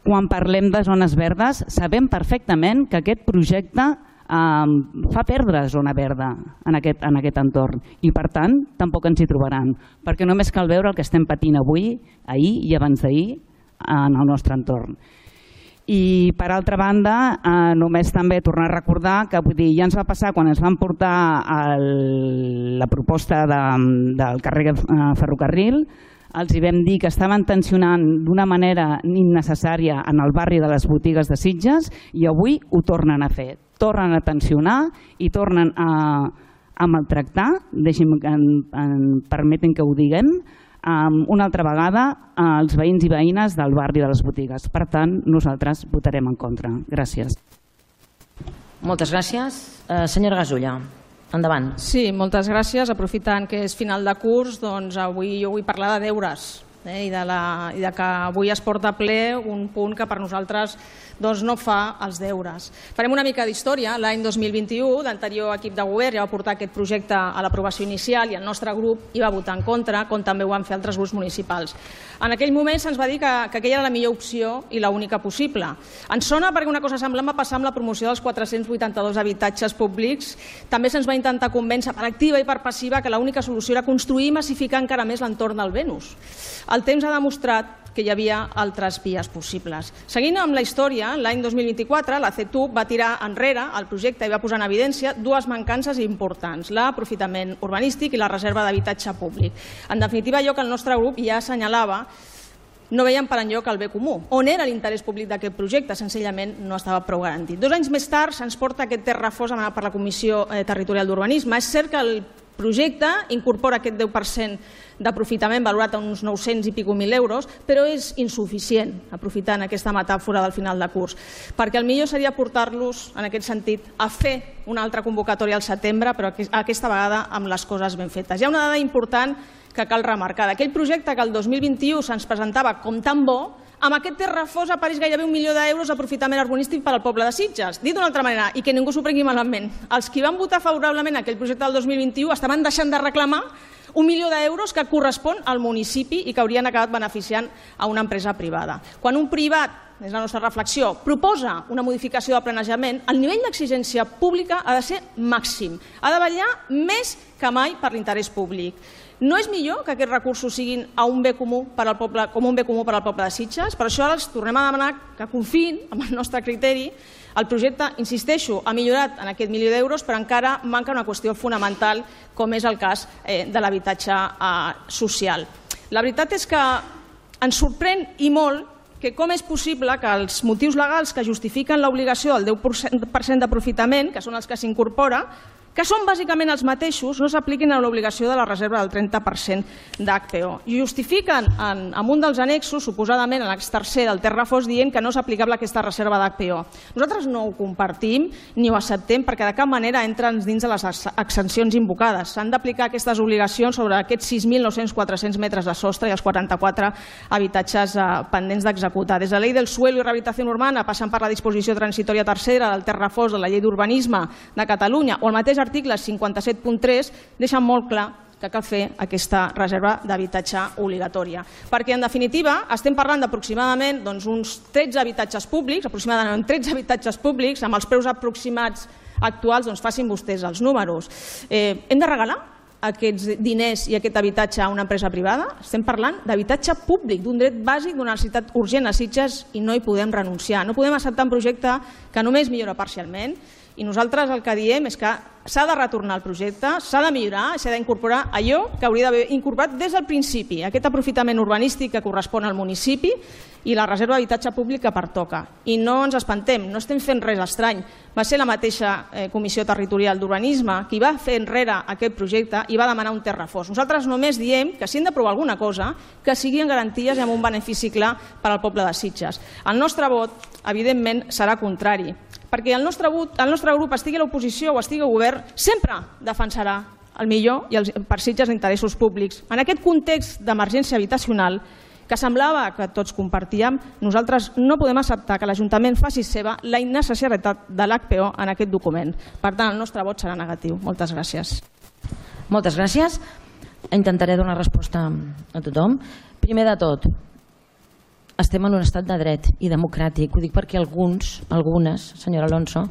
Quan parlem de zones verdes, sabem perfectament que aquest projecte fa perdre zona verda en aquest entorn i, per tant, tampoc ens hi trobaran, perquè només cal veure el que estem patint avui, ahir i abans d'ahir en el nostre entorn. I, per altra banda, només també tornar a recordar que ja ens va passar quan ens van portar la proposta del carrer ferrocarril, els hi vam dir que estaven tensionant d'una manera innecessària en el barri de les botigues de Sitges i avui ho tornen a fer. Tornen a tensionar i tornen a maltractar, permetin que ho diguem, una altra vegada als veïns i veïnes del barri de les botigues. Per tant, nosaltres votarem en contra. Gràcies. Moltes gràcies. Senyora Gasulla, endavant. Sí, moltes gràcies. Aprofitant que és final de curs, doncs avui jo vull parlar de deures i de que avui es porta a ple un punt que per nosaltres no fa els deures. Farem una mica d'història. L'any 2021, l'anterior equip de govern ja va portar aquest projecte a l'aprovació inicial i el nostre grup hi va votar en contra, com també ho van fer altres grups municipals. En aquell moment se'ns va dir que aquella era la millor opció i l'única possible. Ens sona perquè una cosa semblant va passar amb la promoció dels 482 habitatges públics. També se'ns va intentar convèncer per activa i per passiva que l'única solució era construir i massificar encara més l'entorn del Venus. El temps ha demostrat que hi havia altres vies possibles. Seguint amb la història, l'any 2024 la CETUC va tirar enrere el projecte i va posar en evidència 2 mancances importants: l'aprofitament urbanístic i la reserva d'habitatge públic. En definitiva, allò que el nostre grup ja assenyalava, no veiem per enlloc el bé comú. On era l'interès públic d'aquest projecte? Senzillament no estava prou garantit. 2 anys més tard se'ns porta aquest text refós demanat per la Comissió Territorial d'Urbanisme. És cert que el projecte incorpora aquest 10% d'aprofitament valorat a uns 900 i escaig mil euros, però és insuficient, aprofitant aquesta metàfora del final de curs, perquè el millor seria portar-los, en aquest sentit, a fer una altra convocatòria al setembre, però aquesta vegada amb les coses ben fetes. Hi ha una dada important que cal remarcar. D'aquell projecte que el 2021 se'ns presentava com tan bo, amb aquest text refós apareix gairebé 1 milió d'euros d'aprofitament urbanístic per al poble de Sitges. Dit d'una altra manera, i que ningú s'ho prengui malament, els qui van votar favorablement aquell projecte del 2021 estaven deixant de reclamar 1 milió d'euros que correspon al municipi i que haurien acabat beneficiant a una empresa privada. Quan un privat, és la nostra reflexió, proposa una modificació del planejament, el nivell d'exigència pública ha de ser màxim. Ha de vetllar més que mai per l'interès públic. No és millor que aquests recursos siguin un bé comú per al poble de Sitges? Per això ara els tornem a demanar que confiïn amb el nostre criteri. El projecte, insisteixo, ha millorat en aquest 1 milió d'euros, però encara manca una qüestió fonamental, com és el cas de l'habitatge social. La veritat és que ens sorprèn i molt que com és possible que els motius legals que justifiquen l'obligació del 10% d'aprofitament, que són els que s'incorpora, que són bàsicament els mateixos, no s'apliquin a l'obligació de la reserva del 30% d'HPO. I justifiquen en un dels annexos, suposadament en l'ex tercer del text refós, dient que no és aplicable aquesta reserva d'HPO. Nosaltres no ho compartim ni ho acceptem perquè de cap manera entren dins de les exencions invocades. S'han d'aplicar aquestes obligacions sobre aquests 6.900-400 metres de sostre i els 44 habitatges pendents d'executar. Des de la Llei del Suelo i Rehabilitació Urbana, passant per la disposició transitòria tercera del text refós de la Llei d'Urbanisme de Catalunya o el mateix article 57.3 deixen molt clar que cal fer aquesta reserva d'habitatge obligatòria. Perquè, en definitiva, estem parlant d'aproximadament uns 13 habitatges públics, aproximadament 13 habitatges públics, amb els preus aproximats actuals, facin vostès els números. Hem de regalar aquests diners i aquest habitatge a una empresa privada? Estem parlant d'habitatge públic, d'un dret bàsic, d'una necessitat urgent a Sitges i no hi podem renunciar. No podem acceptar un projecte que només millora parcialment i nosaltres el que diem és que s'ha de retornar el projecte, s'ha de millorar, s'ha d'incorporar allò que hauria d'haver incorporat des del principi, aquest aprofitament urbanístic que correspon al municipi i la reserva d'habitatge públic que pertoca. I no ens espantem, no estem fent res estrany. Va ser la mateixa Comissió Territorial d'Urbanisme qui va fer enrere aquest projecte i va demanar un text refós. Nosaltres només diem que si hem d'aprovar alguna cosa, que sigui en garanties i amb un benefici clar per al poble de Sitges. El nostre vot, evidentment, serà contrari, perquè el nostre grup estigui a l'oposició o estigui al govern, sempre defensarà el millor i per Sitges d'interessos públics. En aquest context d'emergència habitacional, que semblava que tots compartíem, nosaltres no podem acceptar que l'Ajuntament faci seva la innecessarietat de l'HPO en aquest document. Per tant, el nostre vot serà negatiu. Moltes gràcies. Moltes gràcies. Intentaré donar resposta a tothom. Primer de tot, estem en un estat de dret i democràtic. Ho dic perquè algunes, senyora Alonso,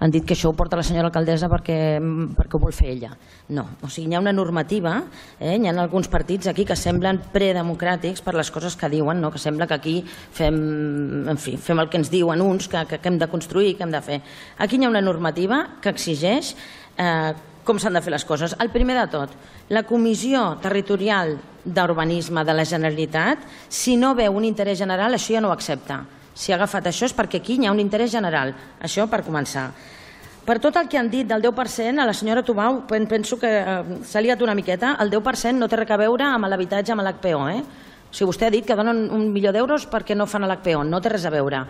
han dit que això ho porta la senyora alcaldessa perquè ho vol fer ella. No, o sigui, hi ha una normativa, hi ha alguns partits aquí que semblen predemocràtics per les coses que diuen, que sembla que aquí fem el que ens diuen uns, que hem de construir, que hem de fer. Aquí hi ha una normativa que exigeix com s'han de fer les coses. El primer de tot, la Comissió Territorial d'Urbanisme de la Generalitat, si no veu un interès general, això ja no ho accepta. Si ha agafat això és perquè aquí hi ha un interès general. Això per començar. Per tot el que han dit del 10%, a la senyora Tubau penso que s'ha liat una miqueta. El 10% no té res a veure amb l'habitatge, amb l'HPO. O sigui, vostè ha dit que donen $1.000.000 perquè no fan l'HPO. No té res a veure.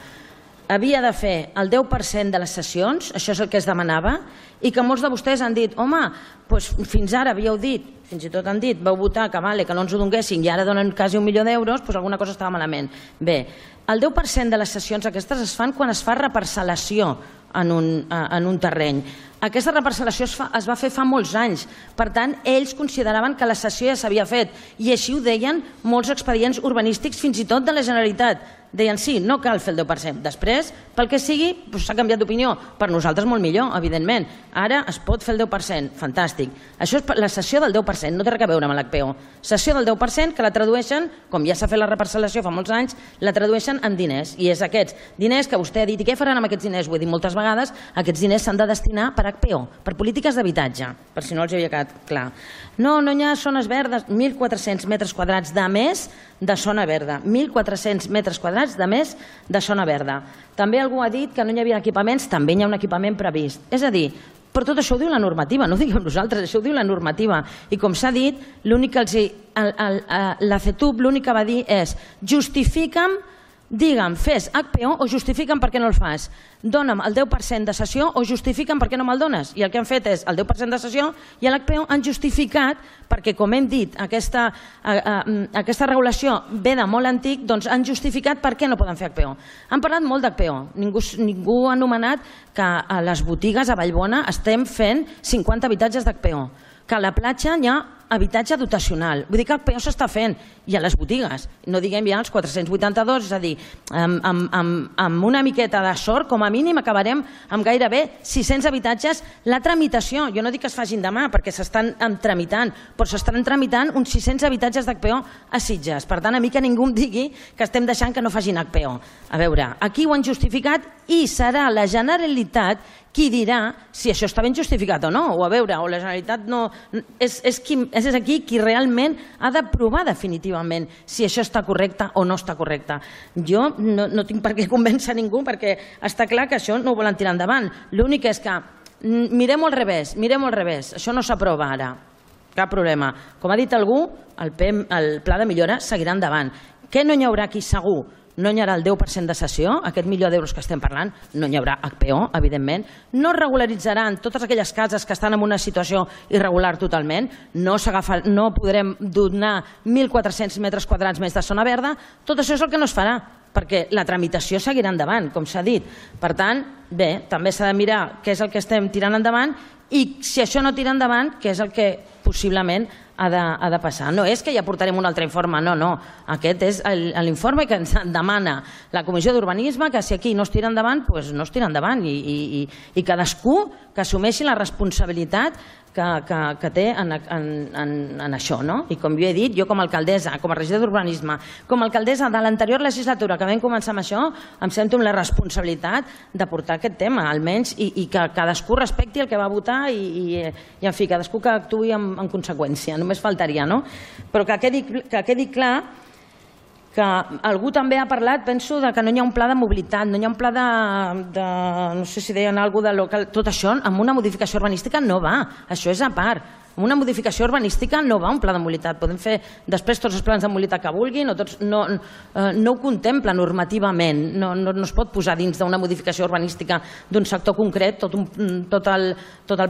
Havia de fer el 10% de les sessions, això és el que es demanava, i que molts de vostès han dit, home, fins ara havíeu dit, fins i tot han dit, vau votar que no ens ho donguessin i ara donen quasi $1.000.000, doncs alguna cosa estava malament. Bé, el 10% de les sessions aquestes es fan quan es fa reparcel·lació en un terreny. Aquesta reparcel·lació es va fer fa molts anys, per tant, ells consideraven que la cessió ja s'havia fet i així ho deien molts expedients urbanístics, fins i tot de la Generalitat. Deien sí, no cal fer el 10%. Després, pel que sigui, s'ha canviat d'opinió. Per nosaltres molt millor, evidentment. Ara es pot fer el 10%, fantàstic. Això és la cessió del 10%, no té res a veure amb l'HPO. Cessió del 10% que la tradueixen, com ja s'ha fet la reparcel·lació fa molts anys, la tradueixen en diners. I és aquests diners que vostè ha dit, i què faran amb aquests diners? Ho he dit moltes vegades, aquests diners s'han de destinar per HPO, per polítiques d'habitatge, per si no els havia quedat clar. No hi ha zones verdes, 1.400 metres quadrats de més de zona verda, 1.400 metres quadrats de més de zona verda. També algú ha dit que no hi havia equipaments, també hi ha un equipament previst. És a dir, però tot això ho diu la normativa, no ho diguem nosaltres, això ho diu la normativa. I com s'ha dit, la CETUB l'únic que va dir és justifica'm, digue'm, fes HPO o justifica'm per què no el fas. Dóna'm el 10% de cessió o justifica'm per què no me'l dones. I el que han fet és el 10% de cessió i l'HPO han justificat, perquè com hem dit, aquesta regulació ve de molt antic, doncs han justificat per què no poden fer HPO. Han parlat molt d'HPO. Ningú ha anomenat que a les botigues a Vallbona estem fent 50 habitatges d'HPO, que a la platja hi ha habitatge dotacional. Vull dir que HPO s'està fent i a les botigues. No diguem ja els 482, és a dir, amb una miqueta de sort, com a mínim acabarem amb gairebé 600 habitatges. La tramitació, jo no dic que es facin demà perquè s'estan tramitant, però s'estan tramitant uns 600 habitatges d'HPO a Sitges. Per tant, a mi que ningú em digui que estem deixant que no facin HPO. A veure, aquí ho han justificat i serà la Generalitat qui dirà si això està ben justificat o no. O a veure, o la Generalitat no... És aquí qui realment ha de provar definitivament si això està correcte o no està correcte. Jo no tinc per què convèncer ningú perquè està clar que això no ho volen tirar endavant. L'únic és que Mirem-ho al revés, això no s'aprova ara, cap problema. Com ha dit algú, el pla de millora seguirà endavant. Què no hi haurà aquí segur? No hi haurà el 10% de cessió, aquest €1.000.000 que estem parlant, no hi haurà HPO, evidentment, no regularitzaran totes aquelles cases que estan en una situació irregular totalment, no podrem donar 1.400 metres quadrats més de zona verda, tot això és el que no es farà, perquè la tramitació seguirà endavant, com s'ha dit. Per tant, bé, també s'ha de mirar què és el que estem tirant endavant i si això no tira endavant, què és el que possiblement ha de passar. No és que ja portarem un altre informe, no. Aquest és l'informe que ens demana la Comissió d'Urbanisme, que si aquí no es tira endavant, doncs no es tira endavant i cadascú que assumeixi la responsabilitat que té en això. I com jo he dit, jo com a alcaldessa, com a regidor d'Urbanisme, com a alcaldessa de l'anterior legislatura que vam començar amb això, em sento amb la responsabilitat de portar aquest tema, almenys, i que cadascú respecti el que va votar i en fi, cadascú que actuï en conseqüència, només faltaria, no? Però que quedi clar que algú també ha parlat, penso, que no hi ha un pla de mobilitat, no hi ha un pla de no sé si deien alguna cosa de local, tot això amb una modificació urbanística no va, això és a part. Amb una modificació urbanística no va un pla de mobilitat, podem fer després tots els plans de mobilitat que vulguin, no ho contempla normativament, no es pot posar dins d'una modificació urbanística d'un sector concret tot el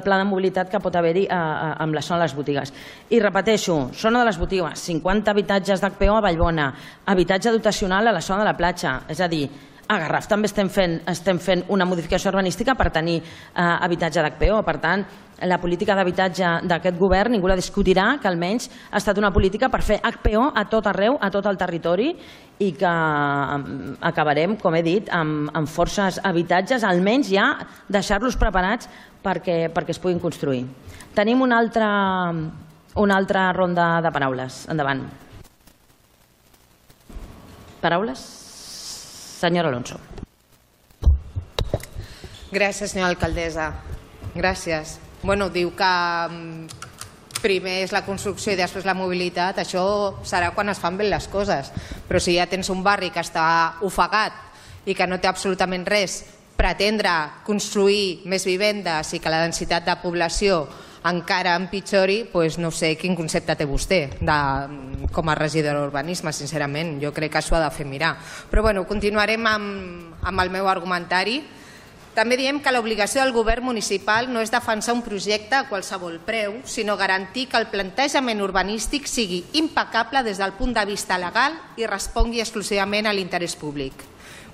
pla de mobilitat que pot haver-hi amb la zona de les botigues. I repeteixo, zona de les botigues, 50 habitatges d'HPO a Vallbona, habitatge dotacional a la zona de la platja, és a dir, a Garraf també estem fent una modificació urbanística per tenir habitatge d'HPO. Per tant, la política d'habitatge d'aquest govern ningú la discutirà, que almenys ha estat una política per fer HPO a tot arreu, a tot el territori, i que acabarem, com he dit, amb forces habitatges, almenys ja deixar-los preparats perquè es puguin construir. Tenim una altra ronda de paraules. Endavant. Paraules? Senyora Alonso. Gràcies, senyora alcaldessa. Gràcies. Bueno, diu que primer és la construcció i després la mobilitat. Això serà quan es fan bé les coses. Però si ja tens un barri que està ofegat i que no té absolutament res, pretendre construir més vivendes i que la densitat de població encara empitjori, doncs no sé quin concepte té vostè com a regidor d'urbanisme, sincerament. Jo crec que això ha de fer mirar. Però bueno, continuarem amb el meu argumentari. També diem que l'obligació del govern municipal no és defensar un projecte a qualsevol preu, sinó garantir que el plantejament urbanístic sigui impecable des del punt de vista legal i respongui exclusivament a l'interès públic.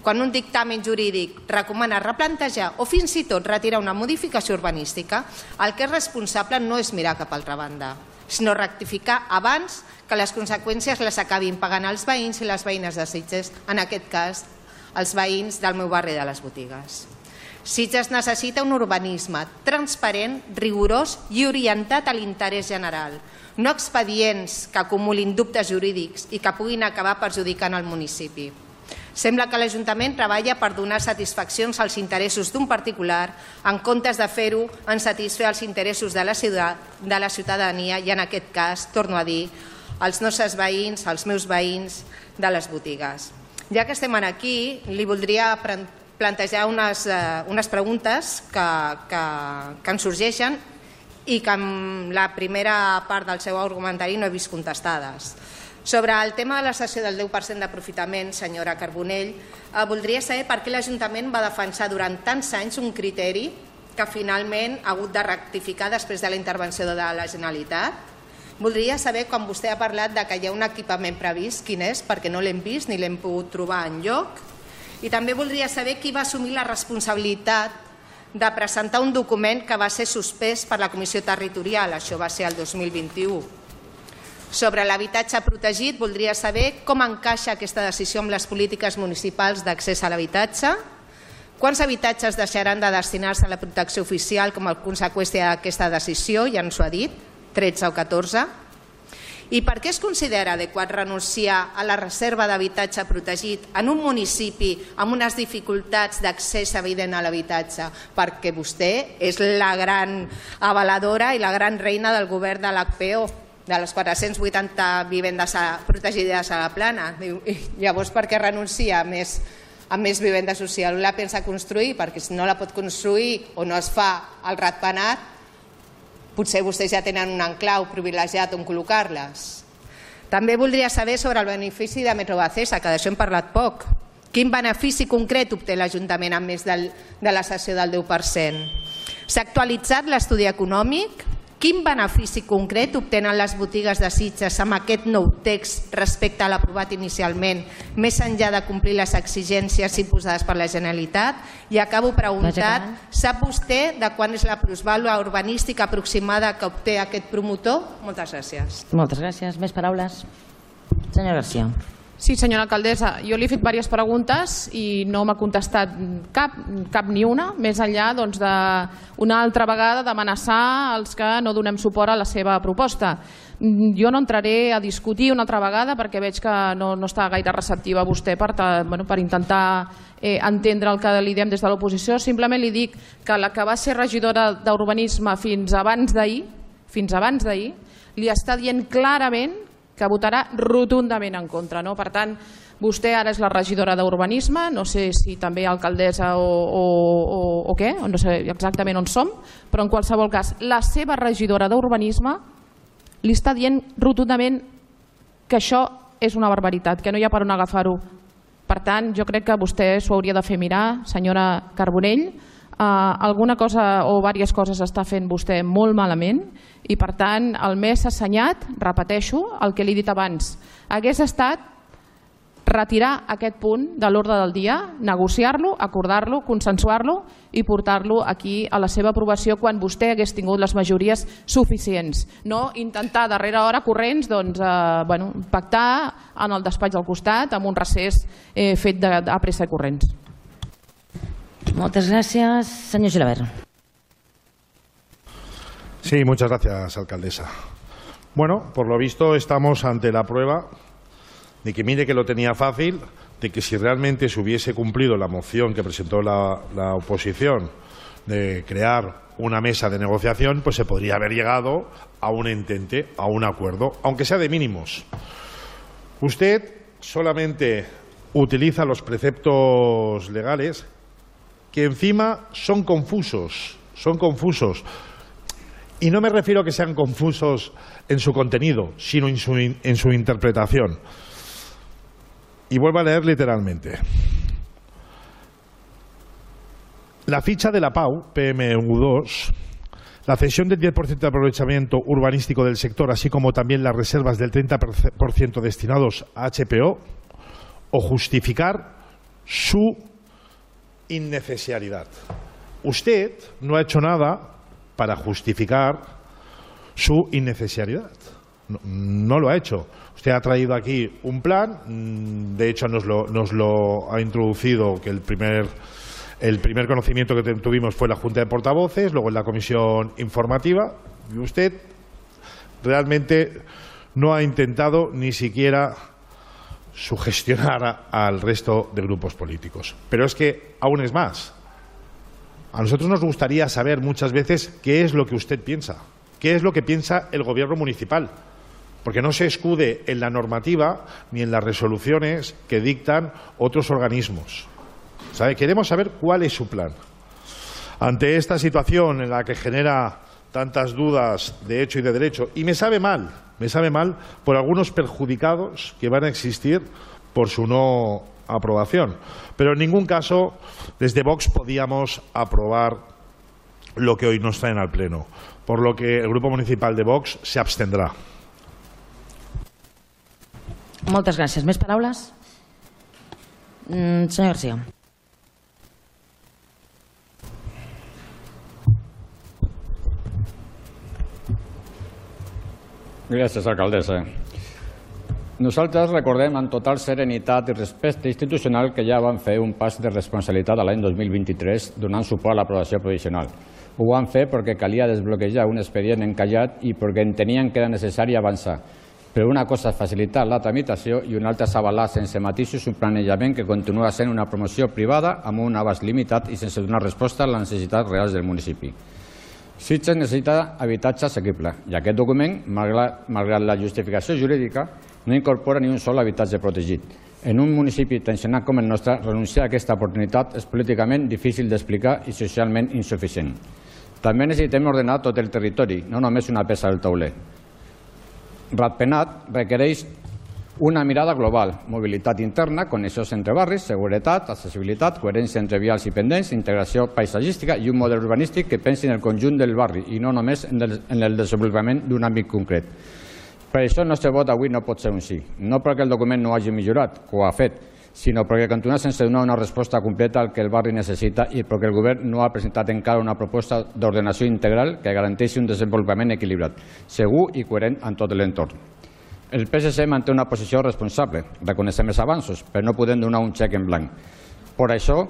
Quan un dictamen jurídic recomana replantejar o fins i tot retirar una modificació urbanística, el que és responsable no és mirar cap a altra banda, sinó rectificar abans que les conseqüències les acabin pagant els veïns i les veïnes de Sitges, en aquest cas els veïns del meu barri de les Botigues. Sitges necessita un urbanisme transparent, rigorós i orientat a l'interès general, no expedients que acumulin dubtes jurídics i que puguin acabar perjudicant el municipi. Sembla que l'Ajuntament treballa per donar satisfaccions als interessos d'un particular en comptes de fer-ho en satisfer els interessos de la ciutadania i, en aquest cas, torno a dir, els nostres veïns, els meus veïns de les botigues. Ja que estem aquí, li voldria plantejar unes preguntes que ens sorgeixen i que en la primera part del seu argumentari no he vist contestades. Sobre el tema de la cessió del 10% d'aprofitament, senyora Carbonell, voldria saber per què l'Ajuntament va defensar durant tants anys un criteri que finalment ha hagut de rectificar després de la intervenció de la Generalitat. Voldria saber, quan vostè ha parlat que hi ha un equipament previst, quin és, perquè no l'hem vist ni l'hem pogut trobar enlloc. I també voldria saber qui va assumir la responsabilitat de presentar un document que va ser suspès per la Comissió Territorial, això va ser el 2021. Sobre l'habitatge protegit, voldria saber com encaixa aquesta decisió amb les polítiques municipals d'accés a l'habitatge, quants habitatges deixaran de destinar-se a la protecció oficial com a conseqüència d'aquesta decisió, ja ens ho ha dit, 13 o 14, i per què es considera adequat renunciar a la reserva d'habitatge protegit en un municipi amb unes dificultats d'accés evident a l'habitatge, perquè vostè és la gran avaladora i la gran reina del govern de l'HPO, de les 480 vivendes protegides a la plana. Llavors, per què renuncia més amb més vivenda social. La pensa construir perquè si no la pot construir o no es fa el ratpenat, potser vostès ja tenen un enclau privilegiat on col·locar-les. També voldria saber sobre el benefici de Metrovacesa, que d'això hem parlat poc. Quin benefici concret obté l'Ajuntament a més de la cessió del 10%? S'ha actualitzat l'estudi econòmic? Quin benefici concret obtenen les botigues de Sitges amb aquest nou text respecte a l'aprovat inicialment, més enllà de complir les exigències imposades per la Generalitat? I acabo preguntant, sap vostè de quan és la plusvàlua urbanística aproximada que obté aquest promotor? Moltes gràcies. Moltes gràcies. Més paraules? Senyor García. Sí, senyora alcaldessa, jo li he fet diverses preguntes i no m'ha contestat cap ni una, més enllà d'una altra vegada d'amenaçar els que no donem suport a la seva proposta. Jo no entraré a discutir una altra vegada perquè veig que no està gaire receptiva vostè per intentar entendre el que li diem des de l'oposició. Simplement li dic que la que va ser regidora d'Urbanisme fins abans d'ahir, li està dient clarament que votarà rotundament en contra. Per tant, vostè ara és la regidora d'Urbanisme, no sé si també alcaldessa o què, no sé exactament on som, però en qualsevol cas, la seva regidora d'Urbanisme li està dient rotundament que això és una barbaritat, que no hi ha per on agafar-ho. Per tant, jo crec que vostè s'ho hauria de fer mirar, senyora Carbonell. Alguna cosa o diverses coses està fent vostè molt malament i per tant el més assenyat, repeteixo el que li he dit abans, hagués estat retirar aquest punt de l'ordre del dia, negociar-lo, acordar-lo, consensuar-lo i portar-lo aquí a la seva aprovació quan vostè hagués tingut les majories suficients. No intentar darrere hora corrents pactar en el despatx del costat amb un recés fet a pressa i corrents. Muchas gracias. Señor Gilabert. Sí, muchas gracias, alcaldesa. Bueno, por lo visto estamos ante la prueba de que mire que lo tenía fácil, de que si realmente se hubiese cumplido la moción que presentó la oposición de crear una mesa de negociación, pues se podría haber llegado a un entente, a un acuerdo, aunque sea de mínimos. Usted solamente utiliza los preceptos legales que encima son confusos. Y no me refiero a que sean confusos en su contenido, sino en su interpretación. Y vuelvo a leer literalmente. La ficha de la PAU, PMU2, la cesión del 10% de aprovechamiento urbanístico del sector, así como también las reservas del 30% destinados a HPO, o justificar su innecesariedad. Usted no ha hecho nada para justificar su innecesariedad. No lo ha hecho. Usted ha traído aquí un plan, de hecho nos lo ha introducido, que el primer conocimiento que tuvimos fue la Junta de Portavoces, luego en la comisión informativa, y usted realmente no ha intentado ni siquiera sugestionar al resto de grupos políticos. Pero es que aún es más. A nosotros nos gustaría saber muchas veces qué es lo que usted piensa, qué es lo que piensa el gobierno municipal, porque no se escude en la normativa ni en las resoluciones que dictan otros organismos. ¿Sabe? Queremos saber cuál es su plan. Ante esta situación en la que genera tantas dudas de hecho y de derecho, y me sabe mal por algunos perjudicados que van a existir por su no aprobación. Pero en ningún caso desde Vox podíamos aprobar lo que hoy nos traen al Pleno, por lo que el Grupo Municipal de Vox se abstendrá. Moltes gràcies. Més paraules? Senyor García. Gràcies, alcaldessa. Nosaltres recordem amb total serenitat i respecte institucional que ja vam fer un pas de responsabilitat a l'any 2023 donant suport a l'aprovació provisional. Ho vam fer perquè calia desbloquejar un expedient encallat i perquè entenien que era necessari avançar. Però una cosa és facilitar la tramitació i una altra és avalar sense matisos un planejament que continua sent una promoció privada amb un abast limitat i sense donar resposta a les necessitats reals del municipi. Sitges necessita habitatge assequible i aquest document, malgrat la justificació jurídica, no incorpora ni un sol habitatge protegit. En un municipi tensionat com el nostre, renunciar a aquesta oportunitat és políticament difícil d'explicar i socialment insuficient. També necessitem ordenar tot el territori, no només una peça del tauler. Ratpenat requereix una mirada global, mobilitat interna, connexions entre barris, seguretat, accessibilitat, coherència entre vials i pendents, integració paisatgística i un model urbanístic que pensi en el conjunt del barri i no només en el desenvolupament d'un àmbit concret. Per això el nostre vot avui no pot ser un sí, no perquè el document no hagi millorat, que ho ha fet, sinó perquè continua sense donar una resposta completa al que el barri necessita i perquè el govern no ha presentat encara una proposta d'ordenació integral que garanteixi un desenvolupament equilibrat, segur i coherent en tot l'entorn. El PSC manté una posició responsable, reconeixem els avanços, però no podem donar un xec en blanc. Per això,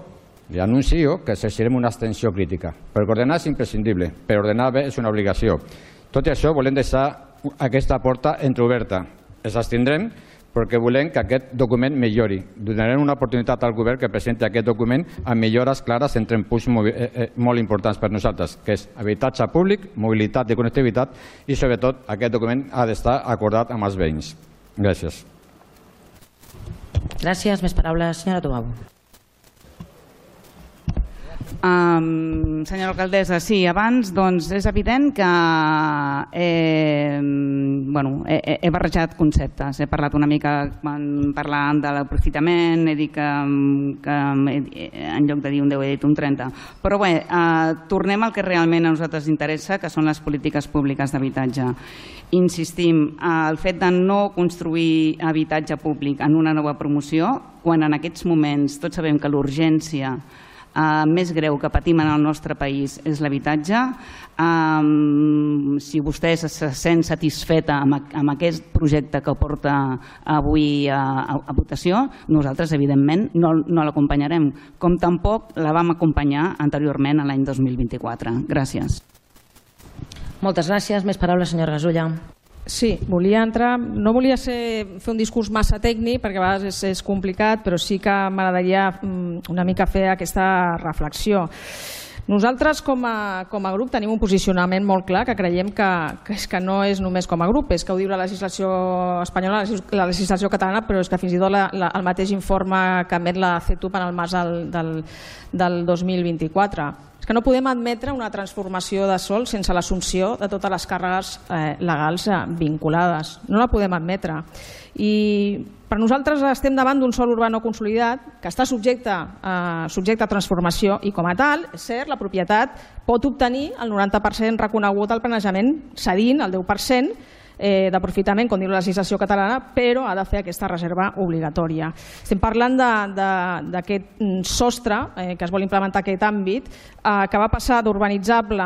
li anuncio que exercirem una abstenció crítica, perquè ordenar és imprescindible, però ordenar bé és una obligació. Tot i això, volem deixar aquesta porta entreoberta. Ens abstindrem perquè volem que aquest document millori. Donarem una oportunitat al govern que presenti aquest document amb millores clares entre punts molt importants per nosaltres, que és habitatge públic, mobilitat i connectivitat i, sobretot, aquest document ha d'estar acordat amb els veïns. Gràcies. Gràcies. Més paraules, senyora Tobau. Senyora alcaldessa, sí, abans és evident que he barrejat conceptes. He parlat una mica parlant de l'aprofitament, he dit que en lloc de dir un 10 he dit un 30. Però bé, tornem al que realment a nosaltres interessa, que són les polítiques públiques d'habitatge. Insistim, el fet de no construir habitatge públic en una nova promoció, quan en aquests moments tots sabem que l'urgència més greu que patim en el nostre país és l'habitatge. Si vostè se sent satisfeta amb aquest projecte que porta avui a votació, nosaltres evidentment no l'acompanyarem, com tampoc la vam acompanyar anteriorment a l'any 2024. Gràcies. Moltes gràcies. Més paraules, senyora Gasulla. Sí, volia entrar, no volia fer un discurs massa tècnic perquè a vegades és complicat, però sí que m'agradaria una mica fer aquesta reflexió. Nosaltres com a grup tenim un posicionament molt clar que creiem que no és només com a grup, és que ho diu la legislació espanyola, la legislació catalana, però és que fins i tot el mateix informe que emet la CETUP en el març del 2024. És que no podem admetre una transformació de sòl sense l'assumpció de totes les càrregues legals vinculades. No la podem admetre. I per nosaltres estem davant d'un sòl urbà no consolidat que està subjecte a transformació i com a tal, és cert, la propietat pot obtenir el 90% reconegut al planejament cedint el 10% d'aprofitament, com diu la legislació catalana, però ha de fer aquesta reserva obligatòria. Estem parlant d'aquest sostre que es vol implementar aquest àmbit, que va passar urbanitzable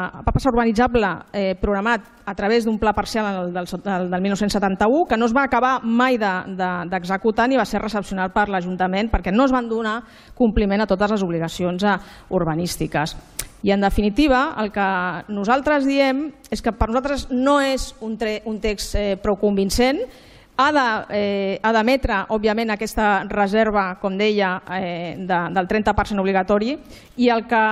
programat a través d'un pla parcial del 1971, que no es va acabar mai d'executar ni va ser recepcionat per l'Ajuntament perquè no es van donar compliment a totes les obligacions urbanístiques. I, en definitiva, el que nosaltres diem és que per nosaltres no és un text prou convincent, ha d'emetre, òbviament, aquesta reserva, com deia, del 30% obligatori, i el que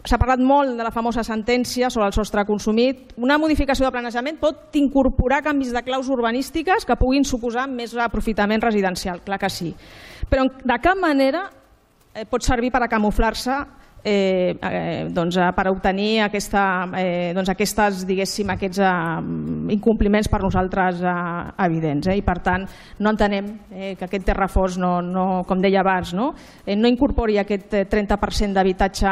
s'ha parlat molt de la famosa sentència sobre el sostre consumit, una modificació de planejament pot incorporar canvis de claus urbanístiques que puguin suposar més aprofitament residencial, clar que sí. Però de cap manera pot servir per a camuflar-se per obtenir aquests incompliments per nosaltres evidents. I per tant no entenem que aquest terrafós, com deia abans, no incorpori aquest 30% d'habitatge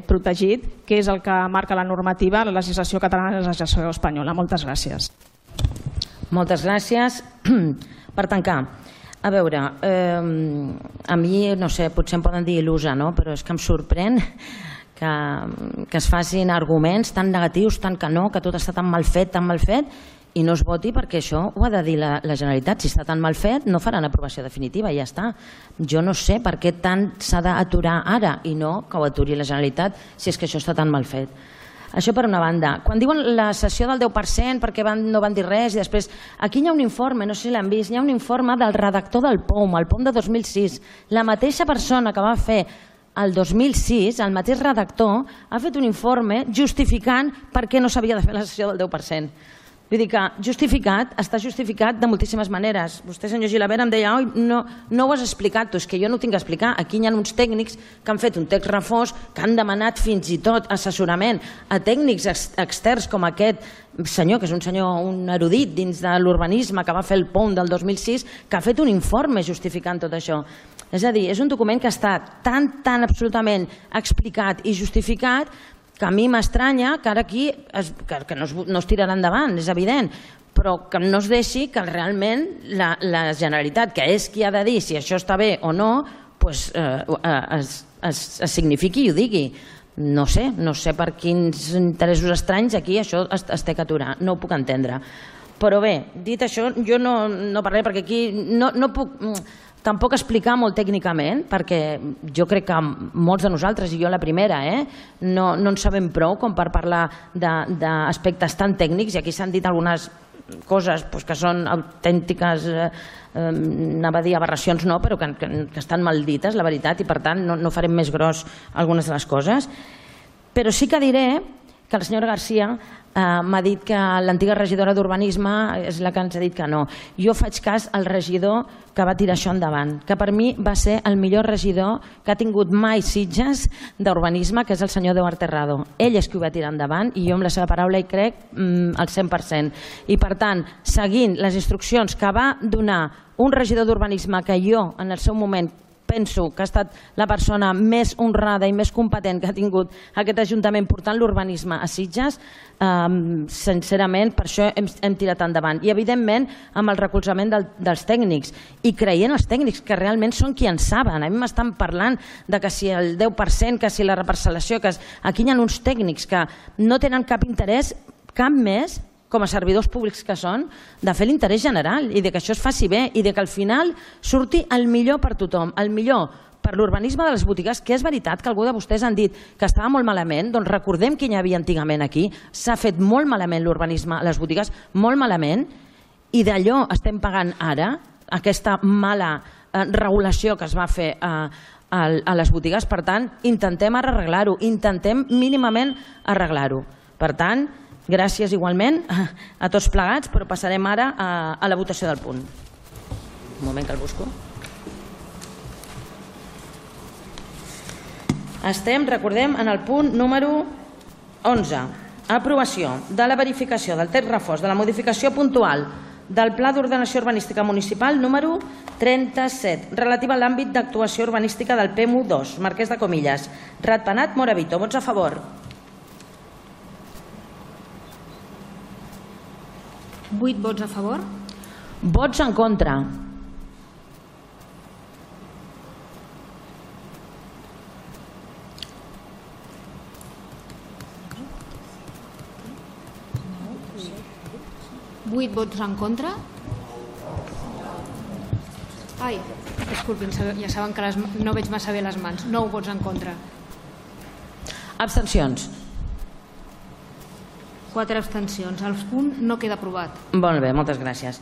protegit, que és el que marca la normativa, la legislació catalana i la legislació espanyola. Moltes gràcies. Moltes gràcies. Per tancar, a veure, a mi, no sé, potser em poden dir il·lusa, però és que em sorprèn que es facin arguments tan negatius, tant que no, que tot està tan mal fet, i no es voti perquè això ho ha de dir la Generalitat. Si està tan mal fet, no faran aprovació definitiva i ja està. Jo no sé per què tant s'ha d'aturar ara i no que ho aturi la Generalitat si és que això està tan mal fet. Això per una banda. Quan diuen la cessió del 10% perquè no van dir res i després... Aquí hi ha un informe, no sé si l'han vist, hi ha un informe del redactor del POUM, el POUM de 2006. La mateixa persona que va fer el 2006, el mateix redactor, ha fet un informe justificant per què no s'havia de fer la cessió del 10%. Vull dir que justificat, està justificat de moltíssimes maneres. Vostè, senyor Gilabert, em deia no ho has explicat, és que jo no ho tinc que explicar. Aquí hi ha uns tècnics que han fet un text refós, que han demanat fins i tot assessorament a tècnics externs com aquest senyor, que és un senyor, un erudit dins de l'urbanisme, que va fer el POUM del 2006, que ha fet un informe justificant tot això. És a dir, és un document que està tan absolutament explicat i justificat que a mi m'estranya que ara aquí que no es tirarà endavant, és evident, però que no es deixi que realment la Generalitat, que és qui ha de dir si això està bé o no, es signifiqui i ho digui. No sé per quins interessos estranys aquí això es té que aturar, no ho puc entendre. Però bé, dit això, jo no parlaré perquè aquí no puc tampoc explicar molt tècnicament, perquè jo crec que molts de nosaltres, i jo la primera, no en sabem prou com per parlar d'aspectes tan tècnics, i aquí s'han dit algunes coses que són autèntiques, anava a dir aberracions no, però que estan mal dites, la veritat, i per tant no farem més gros algunes de les coses. Però sí que diré que la senyora Garcia m'ha dit que l'antiga regidora d'Urbanisme és la que ens ha dit que no. Jo faig cas al regidor que va tirar això endavant, que per mi va ser el millor regidor que ha tingut mai Sitges d'Urbanisme, que és el senyor Eduard Terrado. Ell és qui ho va tirar endavant i jo amb la seva paraula hi crec al 100%. I per tant, seguint les instruccions que va donar un regidor d'Urbanisme que jo en el seu moment penso que ha estat la persona més honrada i més competent que ha tingut aquest Ajuntament portant l'urbanisme a Sitges, sincerament per això hem tirat endavant. I evidentment amb el recolzament dels tècnics i creient els tècnics que realment són qui en saben. A mi m'estan parlant de que si el 10%, que si la reparcel·lació, que aquí hi ha uns tècnics que no tenen cap interès, cap més, com a servidors públics que són, de fer l'interès general i de que això es faci bé i de que al final surti el millor per tothom, el millor per l'urbanisme de les botigues, que és veritat que algú de vostès han dit que estava molt malament, doncs recordem que hi havia antigament aquí, s'ha fet molt malament l'urbanisme a les botigues, molt malament, i d'allò estem pagant ara, aquesta mala regulació que es va fer a les botigues. Per tant, intentem arreglar-ho, intentem mínimament arreglar-ho. Per tant, gràcies igualment a tots plegats, però passarem ara a la votació del punt. Un moment que el busco. Estem, recordem, en el punt número 11. Aprovació de la verificació del text refós de la modificació puntual del Pla d'Ordenació Urbanística Municipal número 37, relativa a l'àmbit d'actuació urbanística del PMU2, Marquès de Comillas. Ratpenat, Moravito. Vots a favor? 8 vots a favor. Vots en contra. Vuit vots en contra. Ai, disculpin, ja saben que no veig massa bé les mans. 9 vots en contra. Abstencions. 4 abstencions. El punt no queda aprovat. Molt bé, moltes gràcies.